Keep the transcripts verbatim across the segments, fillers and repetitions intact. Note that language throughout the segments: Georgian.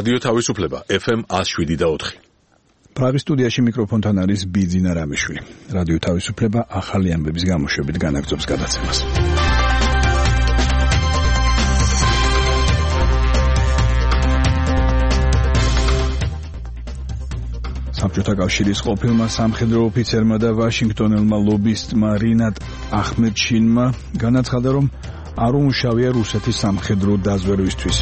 რადიო თავისუფლება ეფ ემ one oh seven point four. პრაღის სტუდიაში მიკროფონთან არის ბიძინა რამიშვილი. რადიო თავისუფლება ახალი ამბების გამოშვებით განაგრძობს გადაცემას. საბჭოთა კავშირის ყოფილმა სამხედრო ოფიცერმა და ვაშინგტონელმა ლობისტმა რინატ ახმედშინმა განაცხადა, რომ არ უმუშავია რუსეთის სამხედრო დაზვერვისთვის.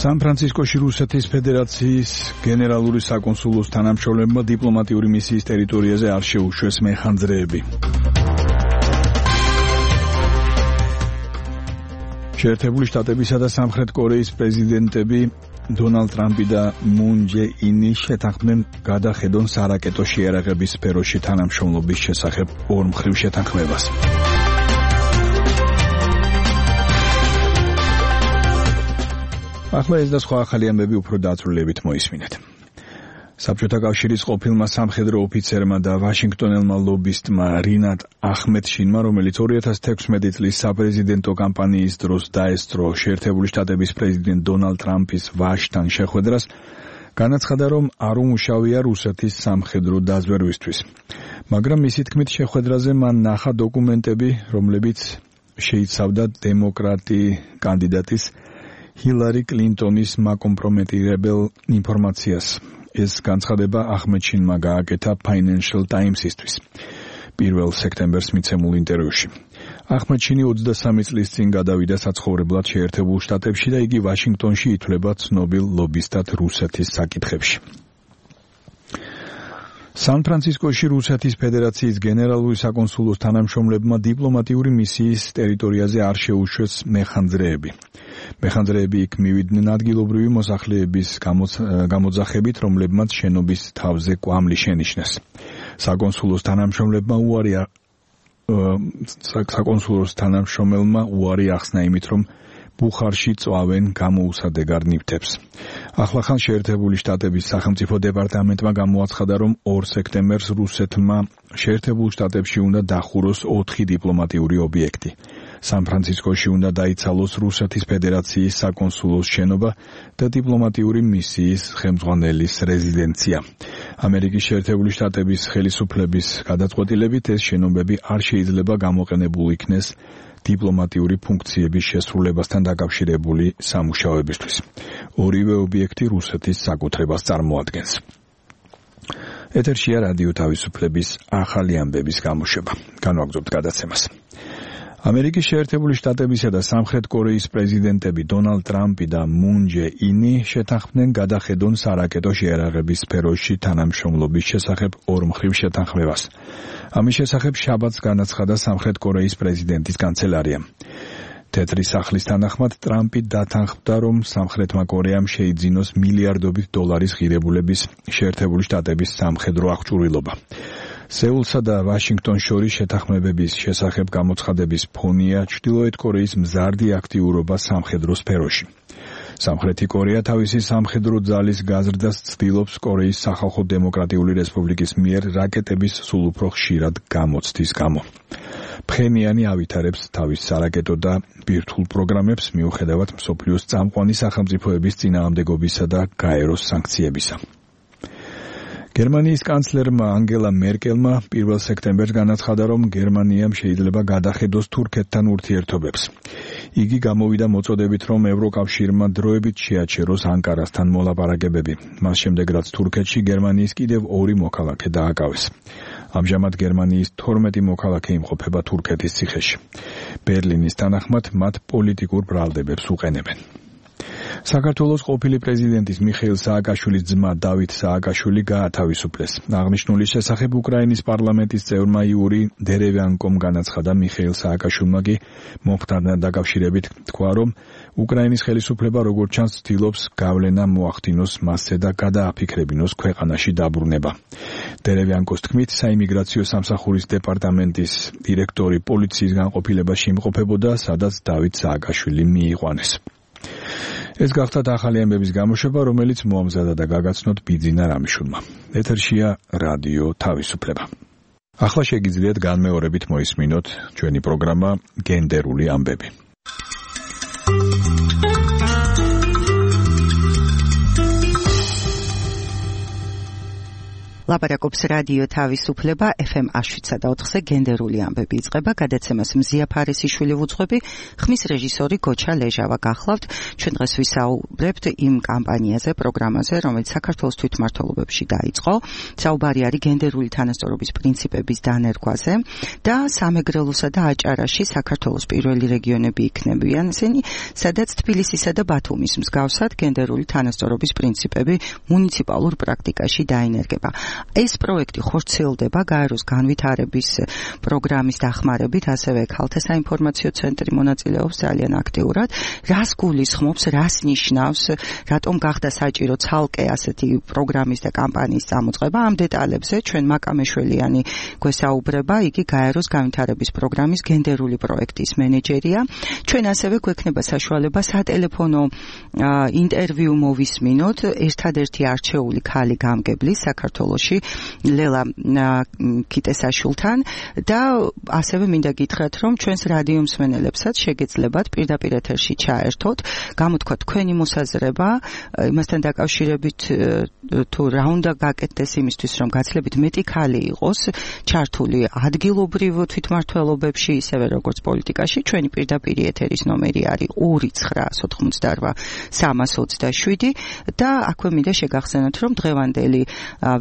სან-ფრანცისკოში რუსეთის ფედერაციის გენერალური საკონსულოს თანამშრომლებმა დიპლომატიური მისიის ტერიტორიაზე არ შეუშვეს მეხანძრეები. შეერთებული შტატებისა და სამხრეთ კორეის პრეზიდენტები დონალდ ტრამპი და მუნ ჯე ინი შეთანხმდნენ გადახედონ სარაკეტო შეიარაღების სფეროში თანამშრომლობის შესახებ ორმხრივ შეთანხმებას. ახლა ეს და სხვა ახალი ამბები უფრო დაწვრილებით მოისმინეთ. საბჭოთა კავშირის ყოფილმა სამხედრო ოფიცერმა და ვაშინგტონელმა ლობისტმა რინატ ახმედშინმა, რომელიც two thousand sixteen წლის საპრეზიდენტო კამპანიის დროს დაესწრო შეერთებული შტატების პრეზიდენტ დონალდ ტრამპის ვაჟთან შეხვედრას, განაცხადა, რომ არ უმუშავია რუსეთის სამხედრო დაზვერვისთვის. მაგრამ მისი თქმით შეხვედრაზე მან ნახა დოკუმენტები, რომლებიც შეიცავდა დემოკრატი კანდიდატის ჰილარი კლინტონის მაკომპრომეტირებელ ინფორმაციას. ეს განცხადება ახმედშინმა გააკეთა Financial Times-ისთვის პირველ სექტემბერს მიცემულ ინტერვიუში. ახმედშინი ოცდასამი წლის წინ გადავიდა საცხოვრებლად შეერთებულ შტატებში და იგი ვაშინგტონში ითვლება ცნობილ ლობისტად რუსეთის საკითხებში. სან-ფრანცისკოში რუსეთის ფედერაციის გენერალური საკონსულოს თანამშრომლებმა დიპლომატიური მისიის ტერიტორიაზე არ შეუშვეს მეხანძრეები. მეხანძრეები იქ მივიდნენ ადგილობრივი მოსახლეების გამოძახებით, რომლებმაც შენობის თავზე კვამლი შენიშნეს. საკონსულოს თანამშრომლებმა უარი საკონსულოს თანამშრომელმა უარი ახსნა იმით, რომ ბუხარში წვავენ გამოუსადეგარ ნივთებს. ახლახან შეერთებული შტატების სახელმწიფო დეპარტამენტმა გამოაცხადა, რომ ორ სექტემბერს რუსეთმა შეერთებულ შტატებში უნდა დახუროს ოთხი დიპლომატიური ობიექტი. სან-ფრანცისკოში უნდა დაიცალოს რუსეთის ფედერაციის საკონსულოს შენობა და დიპლომატიური მისიის ხელმძღვანელის რეზიდენცია. ამერიკის შეერთებული შტატების ხელისუფლების გადაწყვეტილებით ეს შენობები არ შეიძლება გამოყენებულ იქნეს დიპლომატიური ფუნქციების შესრულებასთან დაკავშირებული სამუშაოებისთვის. ორივე ობიექტი რუსეთის საკუთრებას წარმოადგენს. ეთერშია რადიო თავისუფლების ახალი ამბების გამოშვება. განვაგრძობთ გადაცემას. ამერიკის შეერთებული შტატებისა და სამხრეთ კორეის პრეზიდენტები დონალდ ტრამპი და მუნ ჯე ინი შეთანხმდნენ გადახედონ სარაკეტო შეიარაღების სფეროში თანამშრომლობის შესახებ ორმხრივ შეთანხმებას. ამის შესახებ შაბათს განაცხადა სამხრეთ კორეის პრეზიდენტის კანცელარია. თეთრი სახლის თანახმად ტრამპი დათანხმდა, რომ სამხრეთმა კორეამ შეიძინოს მილიარდობით დოლარის ღირებულების შეერთებული შტატების სამხედრო აღჭურვილობა. სეულსა და ვაშინგტონს შორის შეთანხმებების შესახებ გამოცხადების ფონია ჩრდილოეთ კორეის მზარდი აქტიურობა სამხედრო სფეროში. სამხრეთი კორეა თავისი სამხედრო ძალის გაზრდას ცდილობს კორეის სახალხო დემოკრატიული რესპუბლიკის მიერ რაკეტების სულ უფრო ხშირად გამოცდის გამო. ფხენიანი ავითარებს თავის სარაკეტო და ბირთვულ პროგრამებს მიუხედავად მსოფლიოს წამყვანი სახელმწიფოების წინააღმდეგობისა და გაეროს სანქციებისა. გერმანიის კანცლერმა ანგელა მერკელმა პირველ სექტემბერს განაცხადა, რომ გერმანიამ შეიძლება გადახედოს თურქეთთან ურთიერთობებს. იგი გამოვიდა მოწოდებით, რომ ევროკავშირმა დროებით შეაჩეროს ანკარასთან მოლაპარაკებები. მას შემდეგ, რაც თურქეთში გერმანიის კიდევ ორი მოქალაქე დააკავეს. ამჟამად გერმანიის თორმეტი მოქალაქე იმყოფება თურქეთის ციხეში. ბერლინის თანახმად მათ პოლიტიკურ ბრალდებებს უყენებენ. საქართველოს ყოფილი პრეზიდენტის მიხეილ სააკაშვილის ძმა დავით სააკაშვილი გაათავისუფლეს. აღნიშნული შესახებ უკრაინის პარლამენტის წევრმა იური დერევიანკომ განაცხადა. მიხეილ სააკაშვილმა კი მომხდართან დაკავშირებით თქვა, რომ უკრაინის ხელისუფლება როგორც ჩანს ცდილობს გავლენა მოახდინოს მასზე და გადააფიქრებინოს ქვეყანაში დაბრუნება. დერევიანკოს თქმით, საიმიგრაციო სამსახურის დეპარტამენტის დირექტორი პოლიციის განყოფილებაში იმყოფებოდა, სადაც დავით სააკაშვილი მიიყვანეს. ეს გახდათ ახალი ამბების გამოშვება, რომელიც მოამზადა და გაგაცნოთ ბიძინა რამიშვილმა. ეთერშია რადიო თავისუფლება. ახლა შეგიძლიათ განმეორებით მოისმინოთ ჩვენი პროგრამა გენდერული ამბები. ლაპარაკობს რადიო თავისუფლება ეფ ემ შვიდსა და ოთხზე გენდერული ამბები იწყება. გადაცემას მზია ფარისიშვილი ვუძღვები, ხმის რეჟისორი გოჩა ლეჟავა გახლავთ. ჩვენ დღეს ვისაუბრებთ იმ კამპანიაზე, პროგრამაზე, რომელიც საქართველოს თვითმმართველობებში დაიწყო. საუბარი არის გენდერული თანასწორობის პრინციპების დანერგვაზე და სამეგრელოსა და აჭარაში საქართველოს პირველი რეგიონები იქნებიან ისინი, სადაც თბილისისა და ბათუმის მსგავსად გენდერული თანასწორობის პრინციპები მუნიციპალურ პრაქტიკაში დაინერგება. ეს პროექტი ხორციელდება გაეროს განვითარების პროგრამის დახმარებით, ასევე ქალთა საინფორმაციო ცენტრი მონაწილეობს ძალიან აქტიურად. რას გულისხმობს, რას ნიშნავს, რატომ გახდა საჭირო ცალკე ასეთი პროგრამის და კამპანიის წამოწყება? ამ დეტალებზე ჩვენ მაკამეშველიანი გვესაუბრება, იგი გაეროს განვითარების პროგრამის გენდერული პროექტის მენეჯერია. ჩვენ ასევე გვექნება საშუალება სატელეფონო ინტერვიუ მოვისმინოთ ერთადერთი არჩეული ქალი გამგებლის საქართველოში ლელა კიტესაშვილთან და ასევე მინდა გითხრათ, რომ ჩვენს რადიო მსმენელებსაც შეგეძლებათ პირდაპირ ეთერში ჩაერთოთ, გამოთქვათ თქვენი მოსაზრება იმასთან დაკავშირებით, თუ რა უნდა გაკეთდეს იმისთვის, რომ გაცილებით მეტი ქალი იყოს ჩართული ადგილობრივ თვითმმართველობებში, ისევე როგორც პოლიტიკაში. ჩვენი პირდაპირი ეთერის ნომერი არის ორი ცხრა ოთხმოცდარვა სამას ოცდაშვიდი და აქვე მინდა შეგახსენოთ, რომ დღევანდელი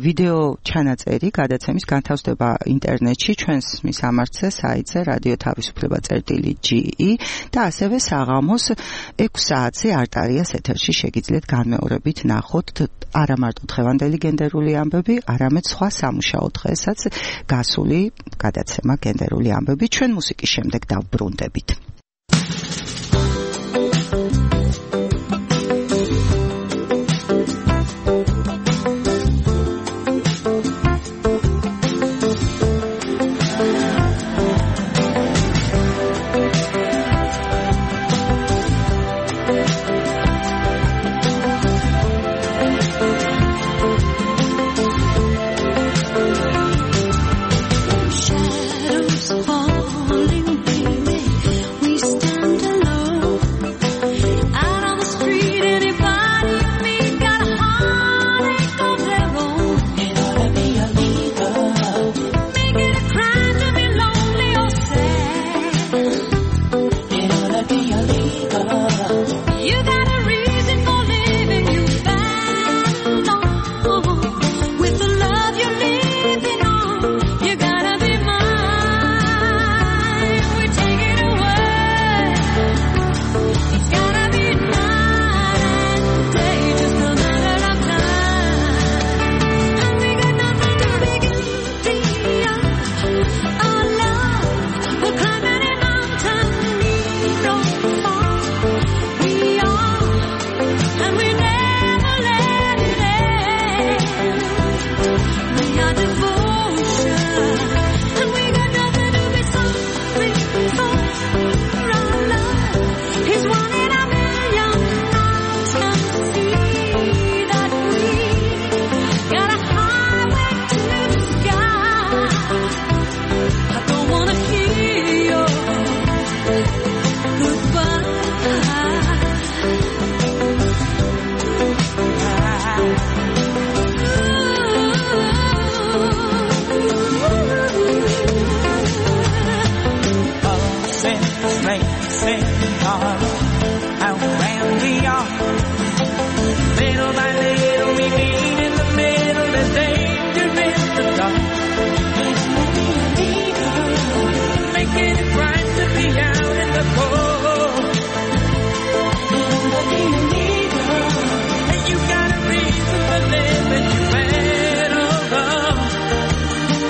ვიდეო ჩანაწერი გადაცემის განთავსდება ინტერნეტში ჩვენს მისამართზე საიტზე რადიო თავისუფლება წერტილი ჯი ი და ასევე საღამოს ექვს საათზე არტარიას ეთერში შეგიძლიათ განმეორებით ნახოთ არა მარტო დღევანდელი გენდერული ამბები, არამედ სხვა სამუშაო დღესაც გასული გადაცემა გენდერული ამბები. ჩვენ მუსიკის შემდეგ დავბრუნდებით.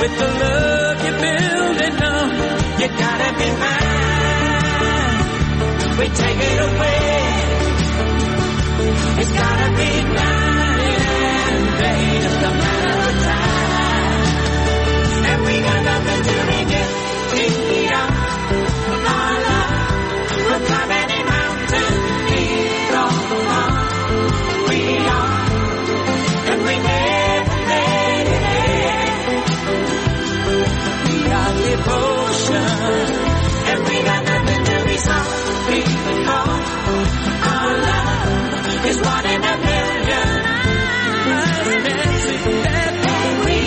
With the love you're building up, you gotta be mine. We take it away. It's gotta be night and day, just a matter of time. And we got nothing to regret. We are our love. We'll climb any mountain, lead on far. We are, and we never let it end. We are devotion, and we got nothing to be sorry for. Our love is one in a million. And we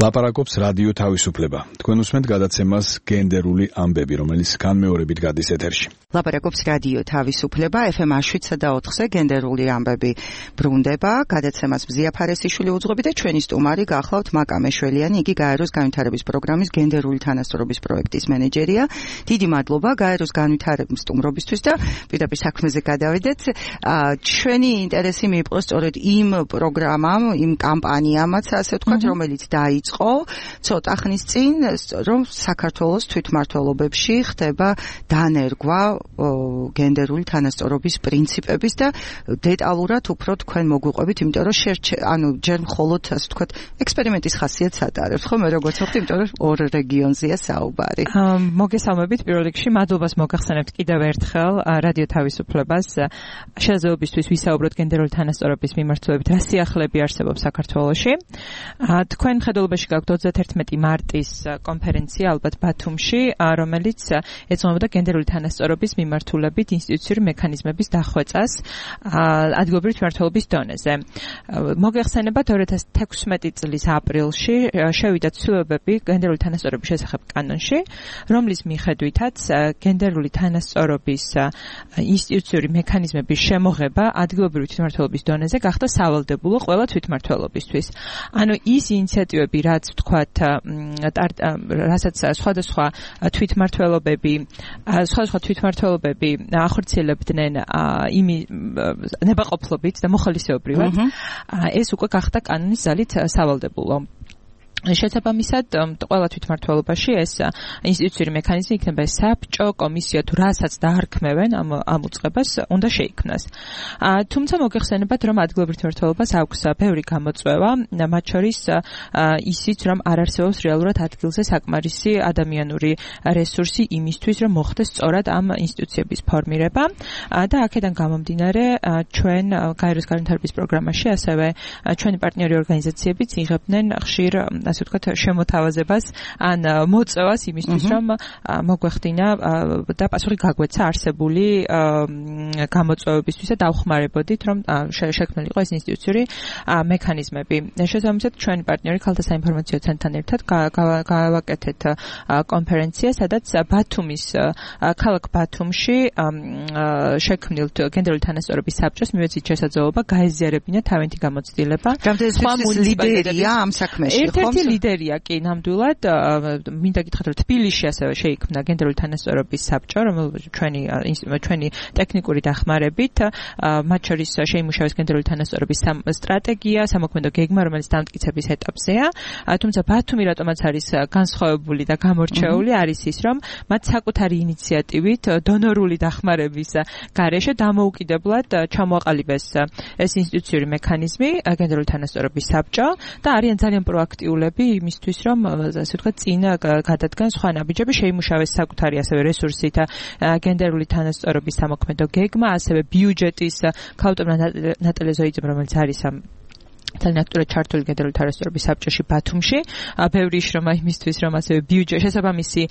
ლაპარაკობს რადიო თავისუფლება. თქვენ უსმენთ გადაცემას გენდერული ამბები, რომელიც განმეორებით გადის ეთერში. ლაპარაკობს რადიო თავისუფლება ეფ ემ შვიდსა და ოთხზე გენდერული ამბები ბრუნდება. გადაცემას მზია ფარესიშვილი უძღვები და ჩვენი სტუმარი გახლავთ მაკა მეშველიანი, იგი გაეროს განვითარების პროგრამის გენდერული თანასწორობის პროექტის მენეჯერია. დიდი მადლობა გაეროს განვითარების სტუმრობისთვის და პირდაპირ საქმეზე გადავიდეთ. ჩვენი ინტერესი მიიპყრო სწორედ იმ პროგრამამ, იმ კამპანიამაც, ასე ვთქვათ, რომელიც დაიწყო ცოტა ხნის წინ, რომ საქართველოს თვითმმართველობებში ხდება დანერგვა გენდერული თანასწორობის პრინციპების და დეტალურად უფრო თქვენ მოგვიყვებით, იმიტომ რომ ანუ ჯერ მხოლოდ ასე ვთქვათ ექსპერიმენტის ხასიათს ატარებთ, ხო, მე როგორც ვთქვი, იმიტომ რომ ორ რეგიონზეა საუბარი. მოგესალმებით, პირველ რიგში მადლობას მოგახსენებთ კიდევ ერთხელ რადიო თავისუფლებას შესაძლებლობისთვის ვისაუბროთ გენდერული თანასწორობის მიმართულებით, რა სიახლეები არსებობს საქართველოში. თქვენ ხედულობაში გაქვთ ოცდაათერთმეტი მარტის კონფერენცია ალბათ ბათუმში, რომელიც ეძღვნება გენდერული თანასწორობის მიმართულებით ინსტიტუციური მექანიზმების დახვეწას ადგილობრივი თვითმმართველობის დონეზე. მოგეხსენებათ ორი ათას თექვსმეტი წლის აპრილში შევიდა ცვლილებები გენდერული თანასწორობის შესახებ კანონში, რომლის მიხედვითაც გენდერული თანასწორობის ინსტიტუციური მექანიზმების შემოღება ადგილობრივი თვითმმართველობის დონეზე გახდა სავალდებულო ყველა თვითმმართველობისთვის. ანუ ის ინიციატივები, რაც ვთქვათ, რასაც სხვადასხვა თვითმმართველობები, სხვადასხვა თვითმმართველობები ახორციელებდნენ იმ ნებაყოფლობით და მოხალისეობრივად, ეს უკვე გახდა კანონის ძალით სავალდებულო. შესაბამისად, ყველა თვითმმართველობაში ეს ინსტიტუციური მექანიზმი იქნება საბჭო, კომისია თუ რასაც დაარქმევენ ამ ამ უწყებას უნდა შეიქმნას. თუმცა მოგეხსენებათ, რომ ადგილობრივ თვითმმართველობას აქვს ბევრი გამოწვევა, მათ შორის ისიც, რომ არ არსებობს რეალურად ადგილზე საკმარისი ადამიანური რესურსი იმისთვის, რომ მოხდეს სწორად ამ ინსტიტუციების ფორმირება და აქედან გამომდინარე, ჩვენ გაეროს განვითარების პროგრამაში ასევე ჩვენი პარტნიორი ორგანიზაციებიც იღებდნენ ხშირ ასე ვთქვათ შემოთავაზებას ან მოწევას იმისთვის, რომ მოგვეხდინა და პასუხი გაგვეცა არსებული გამოწვევებისთვის და დავხმარებოდით, რომ შექმნილიყო ეს ინსტიტუციური მექანიზმები. შესაბამისად, ჩვენი პარტნიორი ქალთა საინფორმაციო ცენტრთან ერთად გავაკეთეთ კონფერენცია, სადაც ბათუმის ქალაქ ბათუმში შექმნილ გენდერული თანასწორობის საბჭოს მივეცით შესაძლებლობა გაეზიარებინა თავენთი გამოცდილება. სხვა ლიდერია ამ საქმეში, ხო? ლიდერია კი ნამდვილად მინდა გითხრათ, რომ თბილისში ასევე შეიქმნა გენდერული თანასწორობის საბჭო, რომელიც ჩვენი ჩვენი ტექნიკური დახმარებით მათ შორის შეიმუშავეს გენდერული თანასწორობის სტრატეგია, სამოქმედო გეგმა, რომელიც დამტკიცების ეტაპზეა. თუმცა ბათუმი რატომაც არის განსხვავებული და გამორჩეული, არის ის, რომ მათ საკუთარი ინიციატივით დონორული დახმარების გარეშე დამოუკიდებლად ჩამოაყალიბეს ეს ინსტიტუციური მექანიზმი, გენდერული თანასწორობის საბჭო და არიან ძალიან პროაქტიულები იმისთვის, რომ ასე ვთქვათ, წინ გადადგან სხვა ნაბიჯები, შეიმუშავეს საკუთარი ასევე რესურსით გენდერული თანასწორობის სამოქმედო გეგმა, ასევე ბიუჯეტის ქალბატონმა ნატალია ზოიძემ, რომელიც არის ამ ძალიან აქტიურად ჩართული გენდერული თანასწორობის საბჭოში ბათუმში, ბევრი შრომა იმისთვის, რომ ასევე ბიუჯეტ შესაბამისი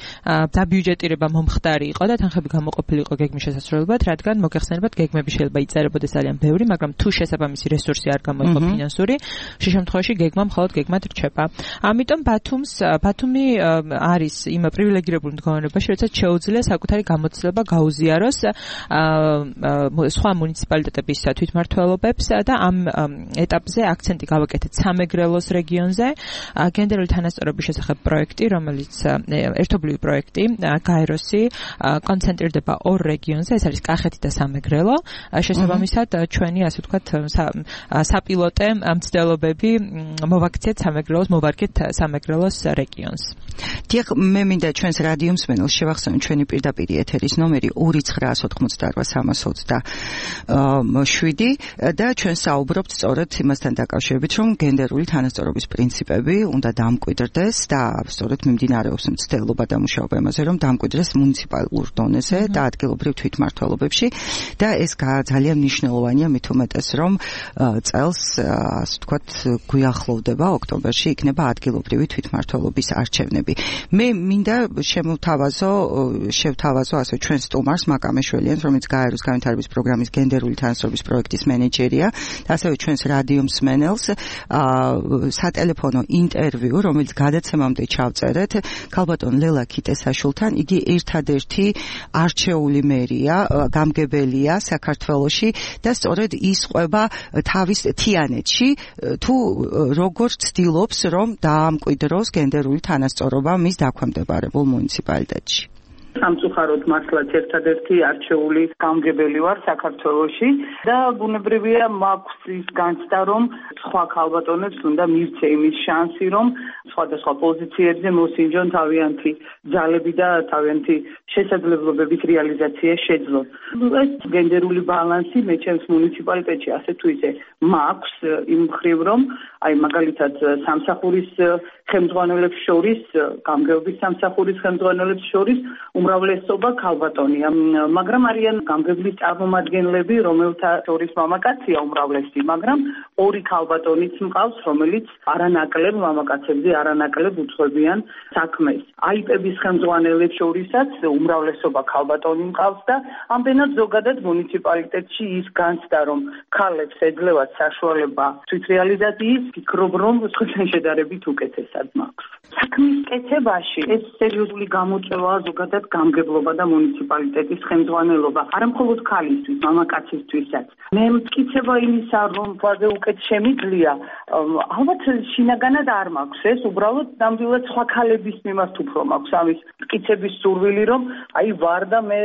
დაბიუჯეტირება მომხდარი იყო და თანხები გამოყოფილიყო გეგმის შესასრულებლად, რადგან მოგეხსენებათ, გეგმები შეიძლება იწერებოდეს ძალიან ბევრი, მაგრამ თუ შესაბამისი რესურსი არ გამოიყო ფინანსური, შემთხვევაში გეგმა მხოლოდ გეგმად რჩება. ამიტომ ბათუმს ბათუმი არის იმ პრივილეგირებულ მდგომარეობაში, როდესაც შეუძლია საკუთარი გამოცდილება გაუზიაროს სხვა მუნიციპალიტეტების თვითმმართველობებს და ამ ეტაპზე აქცენტი გავაკეთეთ სამეგრელოს რეგიონზე, გენდერული თანასწორობის შესახებ პროექტი, რომელიც ერთობლივი პროექტი, გაეროსი კონცენტრირდება ორ რეგიონზე, ეს არის კახეთი და სამეგრელო. შესაბამისად, ჩვენი ასე ვთქვათ საპილოტე მცდელობები მოვაქციეთ სამეგრელოს, მოვარგეთ სამეგრელოს რეგიონს. დიახ, მე მინდა ჩვენს რადიო მსმენელს შევახსენო ჩვენი პირდაპირი ეთერის ნომერი ორი ცხრა ოთხმოცდაოთხ სამას ოცდაშვიდი და ჩვენ საუბრობთ სწორედ იმასთან დაკავშირებით, რომ გენდერული თანასწორობის პრინციპები უნდა დამკვიდრდეს და სწორედ მიმდინარეობს მცდელობა და მუშაობა იმაზე, რომ დამკვიდრდეს მუნიციპალურ დონეზე და ადგილობრივ თვითმმართველობებში და ეს ძალიან მნიშვნელოვანია, მით უმეტეს, რომ წელს, ასე ვთქვათ, გვიახლოვდება ოქტომბერში იქნება ადგილობრივი თვითმმართველობის არჩევნები. მე მინდა შემოვთავაზო, შევთავაზო ასე ჩვენ სტუმარს მაკა მეშველიანს, რომელიც გაეროს განვითარების პროგრამის გენდერული თანასწორობის პროექტის მენეჯერია და ასევე ჩვენს რადიო მსმენელს პანელს სატელეფონო ინტერვიუ, რომელიც გადაცემამდე ჩავწერეთ ქალბატონ ლელა ქიტესაშვილთან. იგი ერთადერთი არჩეული მერია, გამგებელია საქართველოში და სწორედ ის ყვება თავის თიანეთში თუ როგორ ცდილობს რომ დაამკვიდროს გენდერული თანასწორობა მის დაქვემდებარებულ მუნიციპალიტეტში. სამწუხაროდ მართლაც ერთადერთი არჩეული გამგებელი ვარ საქართველოში და ბუნებრივია მაქვს ის განცდა რომ სხვა ქალბატონებს უნდა მივცე იმის შანსი რომ სხვადასხვა პოზიციებზე მოსინჯონ თავიანთი ძალები და თავიანთი შესაძლებლობების რეალიზაცია შეძლონ. ეს გენდერული ბალანსი მე ჩემს მუნიციპალიტეტში ასე თუ ისე მაქვს იმ მხრივ რომ აი მაგალითად სამსახურის ხელმძღვანელებს შორის, გამგეობის სამსახურის ხელმძღვანელებს შორის უმრავლესობა ქალბატონია, მაგრამ არიან გამგებლის წარმომადგენლები, რომელთა შორის მამაკაცია უმრავლესი, მაგრამ ორი ქალბატონიც მყავს, რომელიც არანაკლებ მამაკაცებზე არანაკლებ უძღვებიან საქმეს. აიპების ხელმძღვანელებს შორისაც უმრავლესობა ქალბატონი მყავს და ამდენად ზოგადად მუნიციპალიტეტში ის განცდა, რომ ქალებს ეძლევათ საშუალება თვითრეალიზაციის, ფიქრობ, რომ სხვათან შედარებით უკეთესად მაქვს. საქმის კეთებაში ეს სერიოზული გამოწვევაა ზოგადად გამგებლობა და მუნიციპალიტეტის ხელმძღვანელობა. არა მხოლოდ ქალისთვის, მამაკაცისთვისაც. მე მტკიცება იმისა, რომ ყველაზე უკეთ შემიძლია, ალბათ შინაგანად არ მაქვს ეს, უბრალოდ ნამდვილად სხვა ქალების მიმართ უფრო მაქვს ამის მტკიცების სურვილი, რომ აი ვარ და მე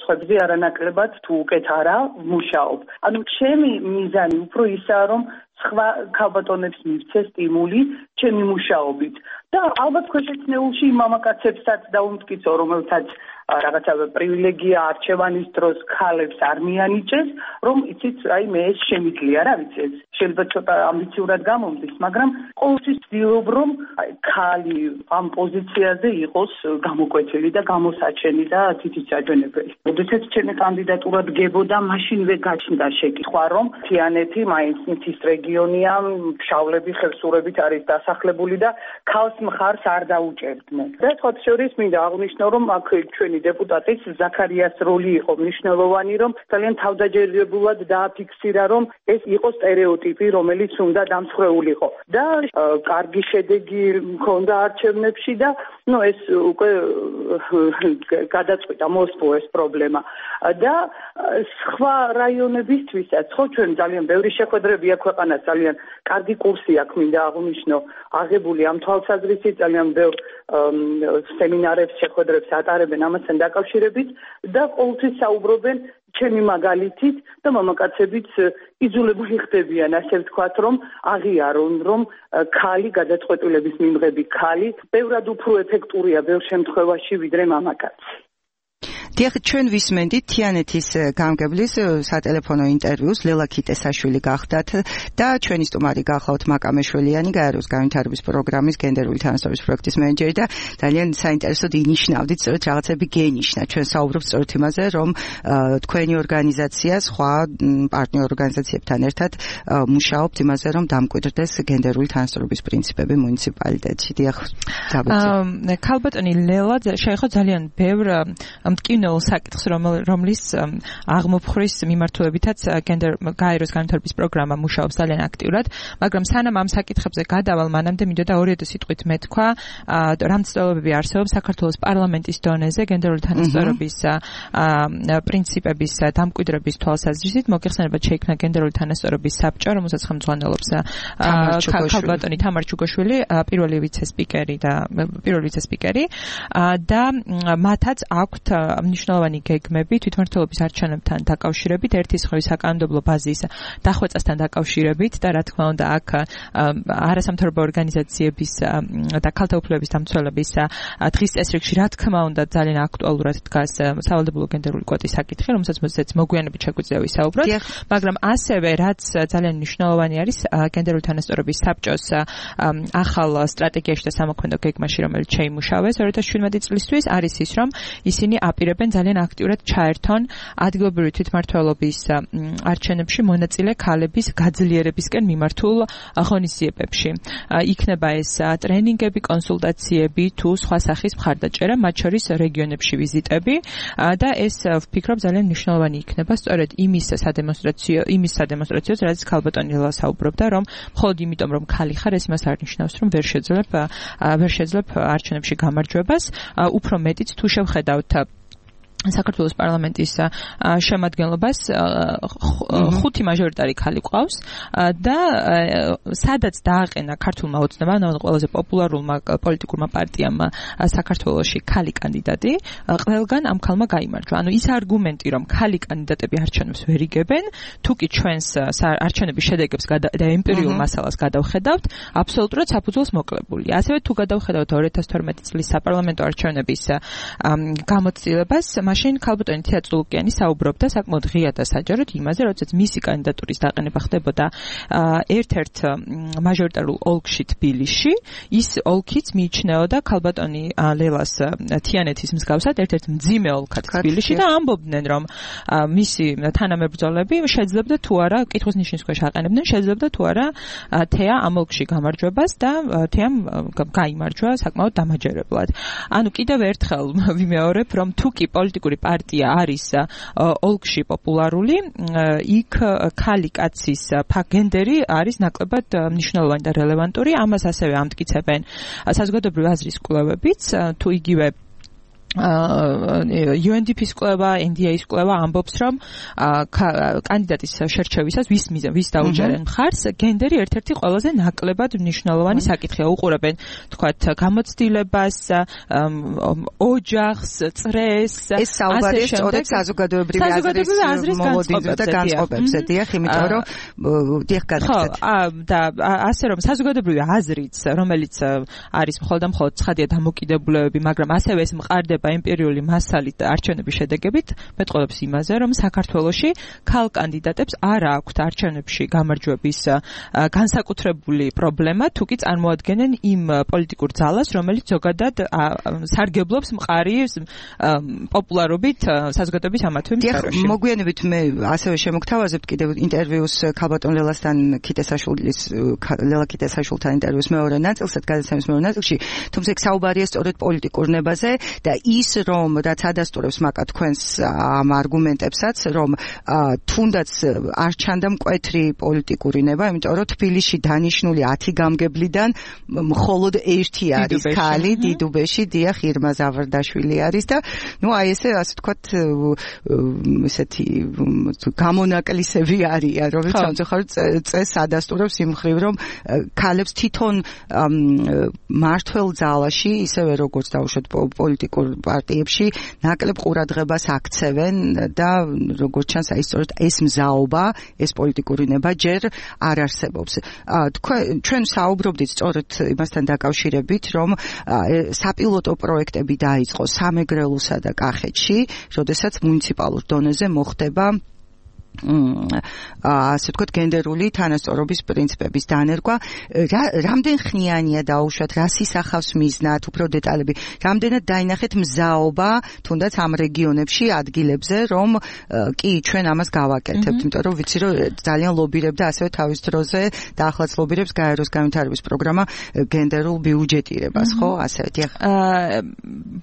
სხვებზე არანაკლებად თუ უკეთ არა ვმუშაობ. ანუ ჩემი მიზანი უფრო ისაა, რომ სხვა ქალბატონებს მივცე სტიმული ჩემი მუშაობით და ალბათ ქვეშეცნეულში მამაკაცებსაც დაუმტკიცო, რომელთაც რაღაცა პრივილეგია არჩევანის დროს ქალებს არ მიანიჭეს, რომ იცით, აი მე ეს შემიძლია, რა ვიცი, ეს შეიძლება ცოტა ამბიციურად გამომდის, მაგრამ ყოველთვის ვცდილობ, რომ ქალი ამ პოზიციაზე იყოს გამოკვეთილი და გამოსაჩენი და თითიც აჯანებელი. როდესაც ჩემი კანდიდატურა დგებოდა, მაშინვე გაჩნდა შეკითხვა, რომ თიანეთი მაინც მთის რეგიონია, შავლები ხევსურებით არის დასახლებული და ქალს მხარს არ დაუჭერდნენ. და სხვა შორის მინდა აღვნიშნო, რომ აქ ჩვენი დეპუტატის ზაქარიას როლი იყო მნიშვნელოვანი, რომ ძალიან თავდაჯერებულად დააფიქსირა, რომ ეს იყო სტერეოტიპი, რომელიც უნდა დამსხვრეულიყო. და კარგი შედეგი მქონდა არჩევნებში და ნუ ეს უკვე გადაწყვიტა მოსპო ეს პრობლემა. და სხვა რაიონებისთვისაც, ხო ჩვენ ძალიან ბევრი შეხვედრები აქვს ქვეყანას, ძალიან კარგი კურსი აქვს, მინდა აღვნიშნო, აღებული ამ თვალსაზრისით, ძალიან ბევრ სემინარებს, შეხვედრებს ატარებენ ამასთან დაკავშირებით და ყოველთვის საუბრობენ ჩემი მაგალითით და მამაკაცებიც იძულებული ხდებიან, ასე ვთქვათ, რომ აღიარონ, რომ ქალი გადაწყვეტილების მიმღები ქალი ბევრად უფრო ეფექტურია ბევრ შემთხვევაში ვიდრე მამაკაცი. დიახ, ჩვენ ვისმენდით თიანეთის გამგებლის სატელეფონო ინტერვიუს, ლელა ქიტესაშვილი გახდათ და ჩვენი სტუმარი გახლავთ მაკამეშვილიანი, გაეროს განვითარების პროგრამის გენდერული თანასწორობის პროექტის მენეჯერი და ძალიან საინტერესოდ ინიშნავდით, სწორედ რაღაცები გენიშნა. ჩვენ საუბრობთ სწორედ იმაზე, რომ თქვენი ორგანიზაცია სხვა პარტნიორ ორგანიზაციებთან ერთად მუშაობთ იმაზე, რომ დამკვიდრდეს გენდერული თანასწორობის პრინციპები მუნიციპალიტეტში. დიახ, აა ქალბატონი ლელა შეეხო ძალიან ბევრ მტკივნეულ საკითხს, რომლის აღმოფხვრის მიმართულებითაც გენდერ გაეროს განვითარების პროგრამა მუშაობს ძალიან აქტიურად, მაგრამ სანამ ამ საკითხებზე გადავალ, მანამდე მინდოდა ორი სიტყვით მეთქვა, რა მცდელობები არსებობს საქართველოს პარლამენტის დონეზე გენდერული თანასწორობის პრინციპების დამკვიდრების თვალსაზრისით. მოგეხსენებათ, შეიქმნა გენდერული თანასწორობის საბჭო, რომელსაც ხელმძღვანელობს ქალბატონი თამარ ჩუგოშვილი, პირველი ვიცე-სპიკერი და პირველი ვიცე-სპიკერი და მათაც აქვთ მნიშვნელოვანი გეგმები თვითმმართველობის არჩევნებთან დაკავშირებით, ერთი სხვავის საკანონმდებლო ბაზის დახვეწასთან დაკავშირებით და რა თქმა უნდა აქ არასამთავრობო ორგანიზაციების და ქალთა უფლებების დამცველების დღის წესრიგში რა თქმა უნდა ძალიან აქტუალურად დგას სავალდებულო გენდერული კვოტის საკითხი, რომელსაც მოგვიანებით შეგვიძლია ვისაუბროთ, მაგრამ ასევე რაც ძალიან მნიშვნელოვანი არის გენდერული თანასწორობის საბჭოს ახალ სტრატეგიაში და სამოქმედო გეგმაში, რომელიც შეიმუშავეს ორი ათას შვიდმეტი წლისთვის, არის ის, რომ ისინი აპირებენ იწევენ ძალიან აქტიურად ჩაერთონ ადგილობრივი თვითმმართველობის არჩევნებში მონაწილე ქალების გაძლიერებისკენ მიმართულ ღონისძიებებში. იქნება ეს ტრენინგები, კონსულტაციები თუ სხვა სახის მხარდაჭერა, მათ შორის რეგიონებში ვიზიტები და ეს ვფიქრობ ძალიან მნიშვნელოვანი იქნება სწორედ იმის სადემონსტრაციო იმის სადემონსტრაციოს, რაც ქალბატონი ლელა საუბრობდა, რომ მხოლოდ იმიტომ რომ ქალი ხარ, ეს იმას არ ნიშნავს, რომ ვერ შეძლებ ვერ შეძლებ არჩევნებში გამარჯვებას, უფრო მეტიც თუ შევხედავთ საქართველოს პარლამენტის შემადგენლობას ხუთი მაჟორიტარი ქალი ყავს და სადაც დააყენა ქართულმა ოცნებამ, ანუ ყველაზე პოპულარულმა პოლიტიკურმა პარტიამ საქართველოში ქალი კანდიდატი, ყველგან ამ ქალმა გაიმარჯვა. ანუ ის არგუმენტი, რომ ქალი კანდიდატები არჩევნებს ვერ იგებენ, თუ კი ჩვენს არჩევნების შედეგებს და ემპირიულ მასალას გადავხედავთ, აბსოლუტურად საფუძველს მოკლებულია. ასევე თუ გადავხედავთ ორი ათას თორმეტი წლის საპარლამენტო არჩევნების გამოცდილებას, მაშინ ქალბატონი თეა წულუკიანი საუბრობდა საკმაოდ ღია და საჯაროდ იმაზე, როდესაც მისი კანდიდატურის დაყენება ხდებოდა ერთ-ერთ მაჟორიტარულ ოლქში თბილისში, ის ოლქიც მიიჩნეოდა ქალბატონი ლელას თიანეთის მსგავსად ერთ-ერთ მძიმე ოლქად თბილისში და ამბობდნენ, რომ მისი თანამებრძოლები შეძლებდა თუ არა, კითხვის ნიშნის ქვეშ აყენებდნენ, შეძლებდა თუ არა თეა ამ ოლქში გამარჯვებას და თეამ გაიმარჯვა საკმაოდ დამაჯერებლად. ანუ კიდევ ერთხელ ვიმეორებ, რომ თუ კი პოლიტიკური პარტია არის ოლქში პოპულარული, იქ ქალი კაცის გენდერი არის ნაკლებად მნიშვნელოვანი და რელევანტური. ამას ასევე ამტკიცებენ საზოგადოებრივი აზრის კვლევებიც, თუ იგივე იუ ენ დი პის კვლევა, ენ დი ეის კვლევა ამბობს, რომ კანდიდატის შერჩევისას ვის ვის დაუჯერენ მხარს, გენდერი ერთ-ერთი ყველაზე ნაკლებად მნიშვნელოვანი საკითხია. უყურებენ, თქვათ, გამოცდილებას, ოჯახს, წრეს, ეს საუბარია სწორედ საზოგადოებრივი აზრის მოლოდინზე და განწყობებზე, დიახ, იმიტომ რომ დიახ გადაგცეთ. ხო, და ასე რომ საზოგადოებრივი აზრიც, რომელიც არის მხოლოდ და მხოლოდ ცხადია დამოკიდებულებები, მაგრამ ასევე ეს მყარდება ემპირიული მასალით არჩევნების შედეგებით, მეტყველებს იმაზე, რომ საქართველოში ქალ კანდიდატებს არ აქვთ არჩევნებში გამარჯვების განსაკუთრებული პრობლემა, თუკი წარმოადგენენ იმ პოლიტიკურ ძალას, რომელიც ზოგადად სარგებლობს მყარი პოპულარობით საზოგადოების ამათვე სფეროში. მოგვიანებით მე ასევე შემოგთავაზებთ კიდევ ინტერვიუს ქალბატონ ლელასთან, ქიტესაშვილის ლელა ქიტესაშვილთან ინტერვიუს მეორე ნაწილსა, გადაცემის მეორე ნაწილში, თუმცა იქ საუბარია სწორედ პოლიტიკურ ნებაზე და ის რომ რაც ადასტურებს მაკა თქვენს ამ არგუმენტებსაც, რომ თუნდაც არ ჩანდა მკვეთრი პოლიტიკური ნება, იმიტომ რომ თბილისში დანიშნული ათი გამგებლიდან მხოლოდ ერთი არის ქალი, დიდუბეში დიახ ირმა ზავარდაშვილი არის და ნუ აი ესე ასე ვთქვათ ესეთი გამონაკლისები არიან, რომელიც სამწუხაროდ წესს ადასტურებს იმ მხრივ, რომ ქალებს თვითონ მართველ ძალაში, ისევე როგორც დაუშვათ პოლიტიკურ პარტიებში ნაკლებ ყურადღებას აქცევენ და როგორც ჩანს აი სწორედ ეს მზაობა, ეს პოლიტიკური ნება ჯერ არ არსებობს. თქვენ ჩვენ საუბრობდით სწორედ იმასთან დაკავშირებით, რომ საპილოტო პროექტები დაიწყო სამეგრელოსა და კახეთში, როდესაც მუნიციპალურ დონეზე მოხდება ასე ვთქვათ გენდერული თანასწორობის პრინციპების დანერგვა. რამდენ ხნიანია დაუშვათ, რას ისახავს მიზნად, უფრო დეტალები, რამდენად დაინახეთ მზაობა თუნდაც ამ რეგიონებში, ადგილებზე, რომ კი ჩვენ ამას გავაკეთებთ, იმიტომ რომ ვიცი რომ ძალიან ლობირებდა ასევე თავის დროზე და ახლაც ლობირებს გაეროს განვითარების პროგრამა გენდერულ ბიუჯეტირებას, ხო? ასე დიახ.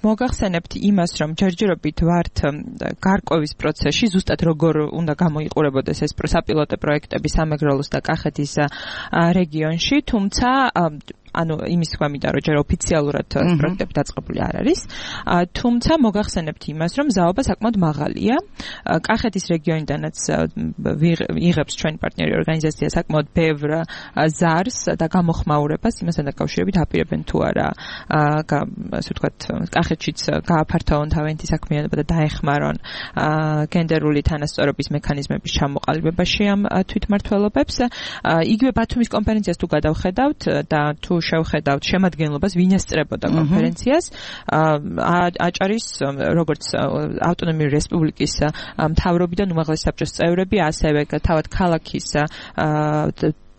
მოგახსენებთ იმას, რომ ჯერჯერობით ვართ გარკვევის პროცესში, ზუსტად როგორ უნდა გამოიყურებოდეს ეს საპილოტო პროექტები სამეგრელოს და კახეთის რეგიონში, თუმცა ანუ იმის თქვა მინდა რომ ჯერ ოფიციალურად პროექტები დაწყებული არ არის, თუმცა მოგახსენებთ იმას, რომ ზაობა საკმაოდ მაღალია. კახეთის რეგიონიდანაც იღებს ჩვენი პარტნიორი ორგანიზაცია საკმაოდ ბევრ ზარს და გამოხმაურებას იმასთან დაკავშირებით აპირებენ თუ არა ასე ვთქვათ კახეთშიც გააფართოვონ თავიანთი საქმიანობა და დაეხმარონ გენდერული თანასწორობის მექანიზმების ჩამოყალიბებაში ამ თვითმმართველობებს. იგივე ბათუმის კონფერენციას თუ გადავხედავთ და თუ შევხედავთ შემადგენლობას, ვინ ესწრებოდა კონფერენციას, აჭარის როგორც ავტონომიური რესპუბლიკის მთავრობიდან უმაღლესი საბჭოს წევრები, ასევე თავად ქალაქის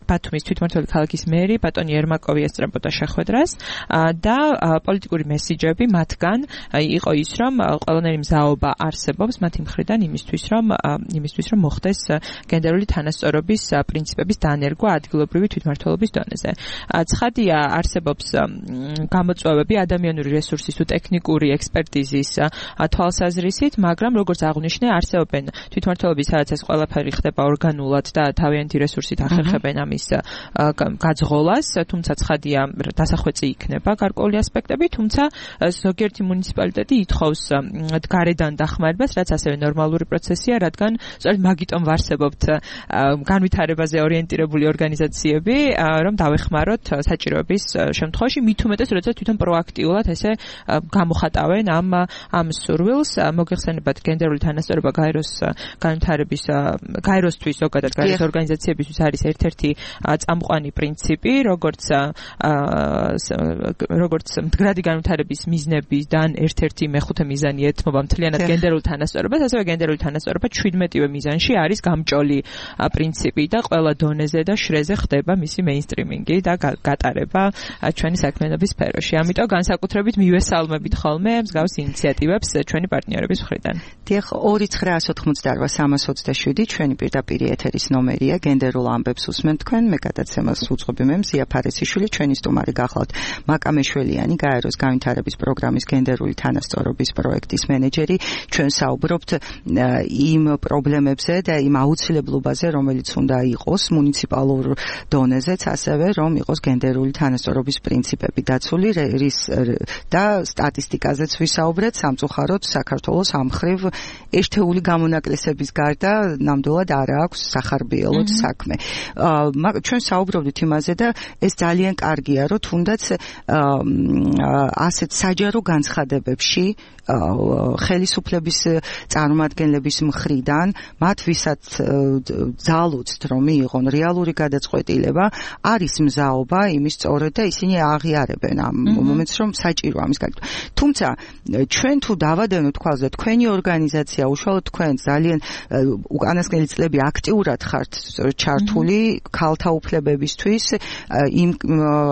ბათუმის თვითმმართველი ქალაქის მერი ბატონი ერმაკოვი ესწრებოდა შეხვედრას და პოლიტიკური მესიჯები მათგან იყო ის, რომ ყველანაირი მზაობა არსებობს მათი მხრიდან იმისთვის, რომ იმისთვის, რომ მოხდეს გენდერული თანასწორობის პრინციპების დანერგვა ადგილობრივი თვითმმართველობის დონეზე. ცხადია, არსებობს გამოწვევები ადამიანური რესურსის თუ ტექნიკური ექსპერტიზის თვალსაზრისით, მაგრამ როგორც აღვნიშნე, არსებობენ თვითმმართველობის, სადაც ეს ყველაფერი ხდება ორგანულად და თავიანთი რესურსით ახერხებენ ამის გაძღოლას, თუმცა ცხადია, დასახვეწი იქნება გარკვეული ასპექტები, თუმცა ზოგიერთი მუნიციპალიტეტი ითხოვს გარედან დახმარებას, რაც ასევე ნორმალური პროცესია, რადგან სწორედ მაგიტომ ვარსებობთ განვითარებაზე ორიენტირებული ორგანიზაციები, რომ დავეხმაროთ საჭიროების შემთხვევაში, მით უმეტეს, როდესაც თვითონ პროაქტიულად ესე გამოხატავენ ამ ამ სურვილს. მოგეხსენებათ, გენდერული თანასწორობა გაეროს განვითარების გაეროსთვის ზოგადად გაეროს ორგანიზაციებისთვის არის ერთ-ერთი წამყვანი პრინციპი, როგორც როგორც მდგრადი განვითარების მიზნებიდან ერთ-ერთი მეხუთე მიზანი ეთმობა მთლიანად გენდერულ თანასწორობას, ასევე გენდერული თანასწორობა ჩვიდმეტივე მიზანში არის გამჭოლი პრინციპი და ყველა დონეზე და შრეზე ხდება მისი მეინსტრიმინგი და გატარება ჩვენი საქმიანობის სფეროში. ამიტომ განსაკუთრებით მივესალმებით ხოლმე მსგავს ინიციატივებს ჩვენი პარტნიორების მხრიდან. დიახ, ორი ცხრა ოცდაოთხმოცდარბა სამას ოცდაშვიდი ჩვენი პირდაპირ ეთერის ნომერია, გენდერულ ამბებს უსმენთ თქვენ, მე გადაცემას უწყობი მე მზია ფარესიშვილი, ჩვენი სტუმარი გახლავთ მაკა მეშველიანი, გაეროს განვითარების პროგრამის გენდერული თანასწორობის პროექტის მენეჯერი. ჩვენ საუბრობთ იმ პრობლემებზე და იმ აუცილებლობაზე, რომელიც უნდა იყოს მუნიციპალურ დონეზეც, ასევე რომ იყოს გენდერული თანასწორობის პრინციპები დაცული და სტატისტიკაზეც ვისაუბრეთ, სამწუხაროდ საქართველოს ამხრივ ერთეული გამონაკლისების გარდა ნამდვილად არ აქვს სახარბიელოდ საქმე. ჩვენ საუბრობდით იმაზე და ეს ძალიან კარგია, რომ თუნდაც ასეთ საჯარო განცხადებებში ხელისუფლების წარმომადგენლების მხრიდან მათ ვისაც ძალუცთ რომ მიიღონ რეალური გადაწყვეტილება, არის მზაობა იმის სწორედ და ისინი აღიარებენ ამ მომენტს, რომ საჭიროა ამის გაკეთება. თუმცა ჩვენ თუ დავადენოთ თვალს და თქვენი ორგანიზაცია, უშუალოდ თქვენ ძალიან უკანასკნელი წლები აქტიურად ხართ ჩართული ქალთა უფლებებისთვის, იმ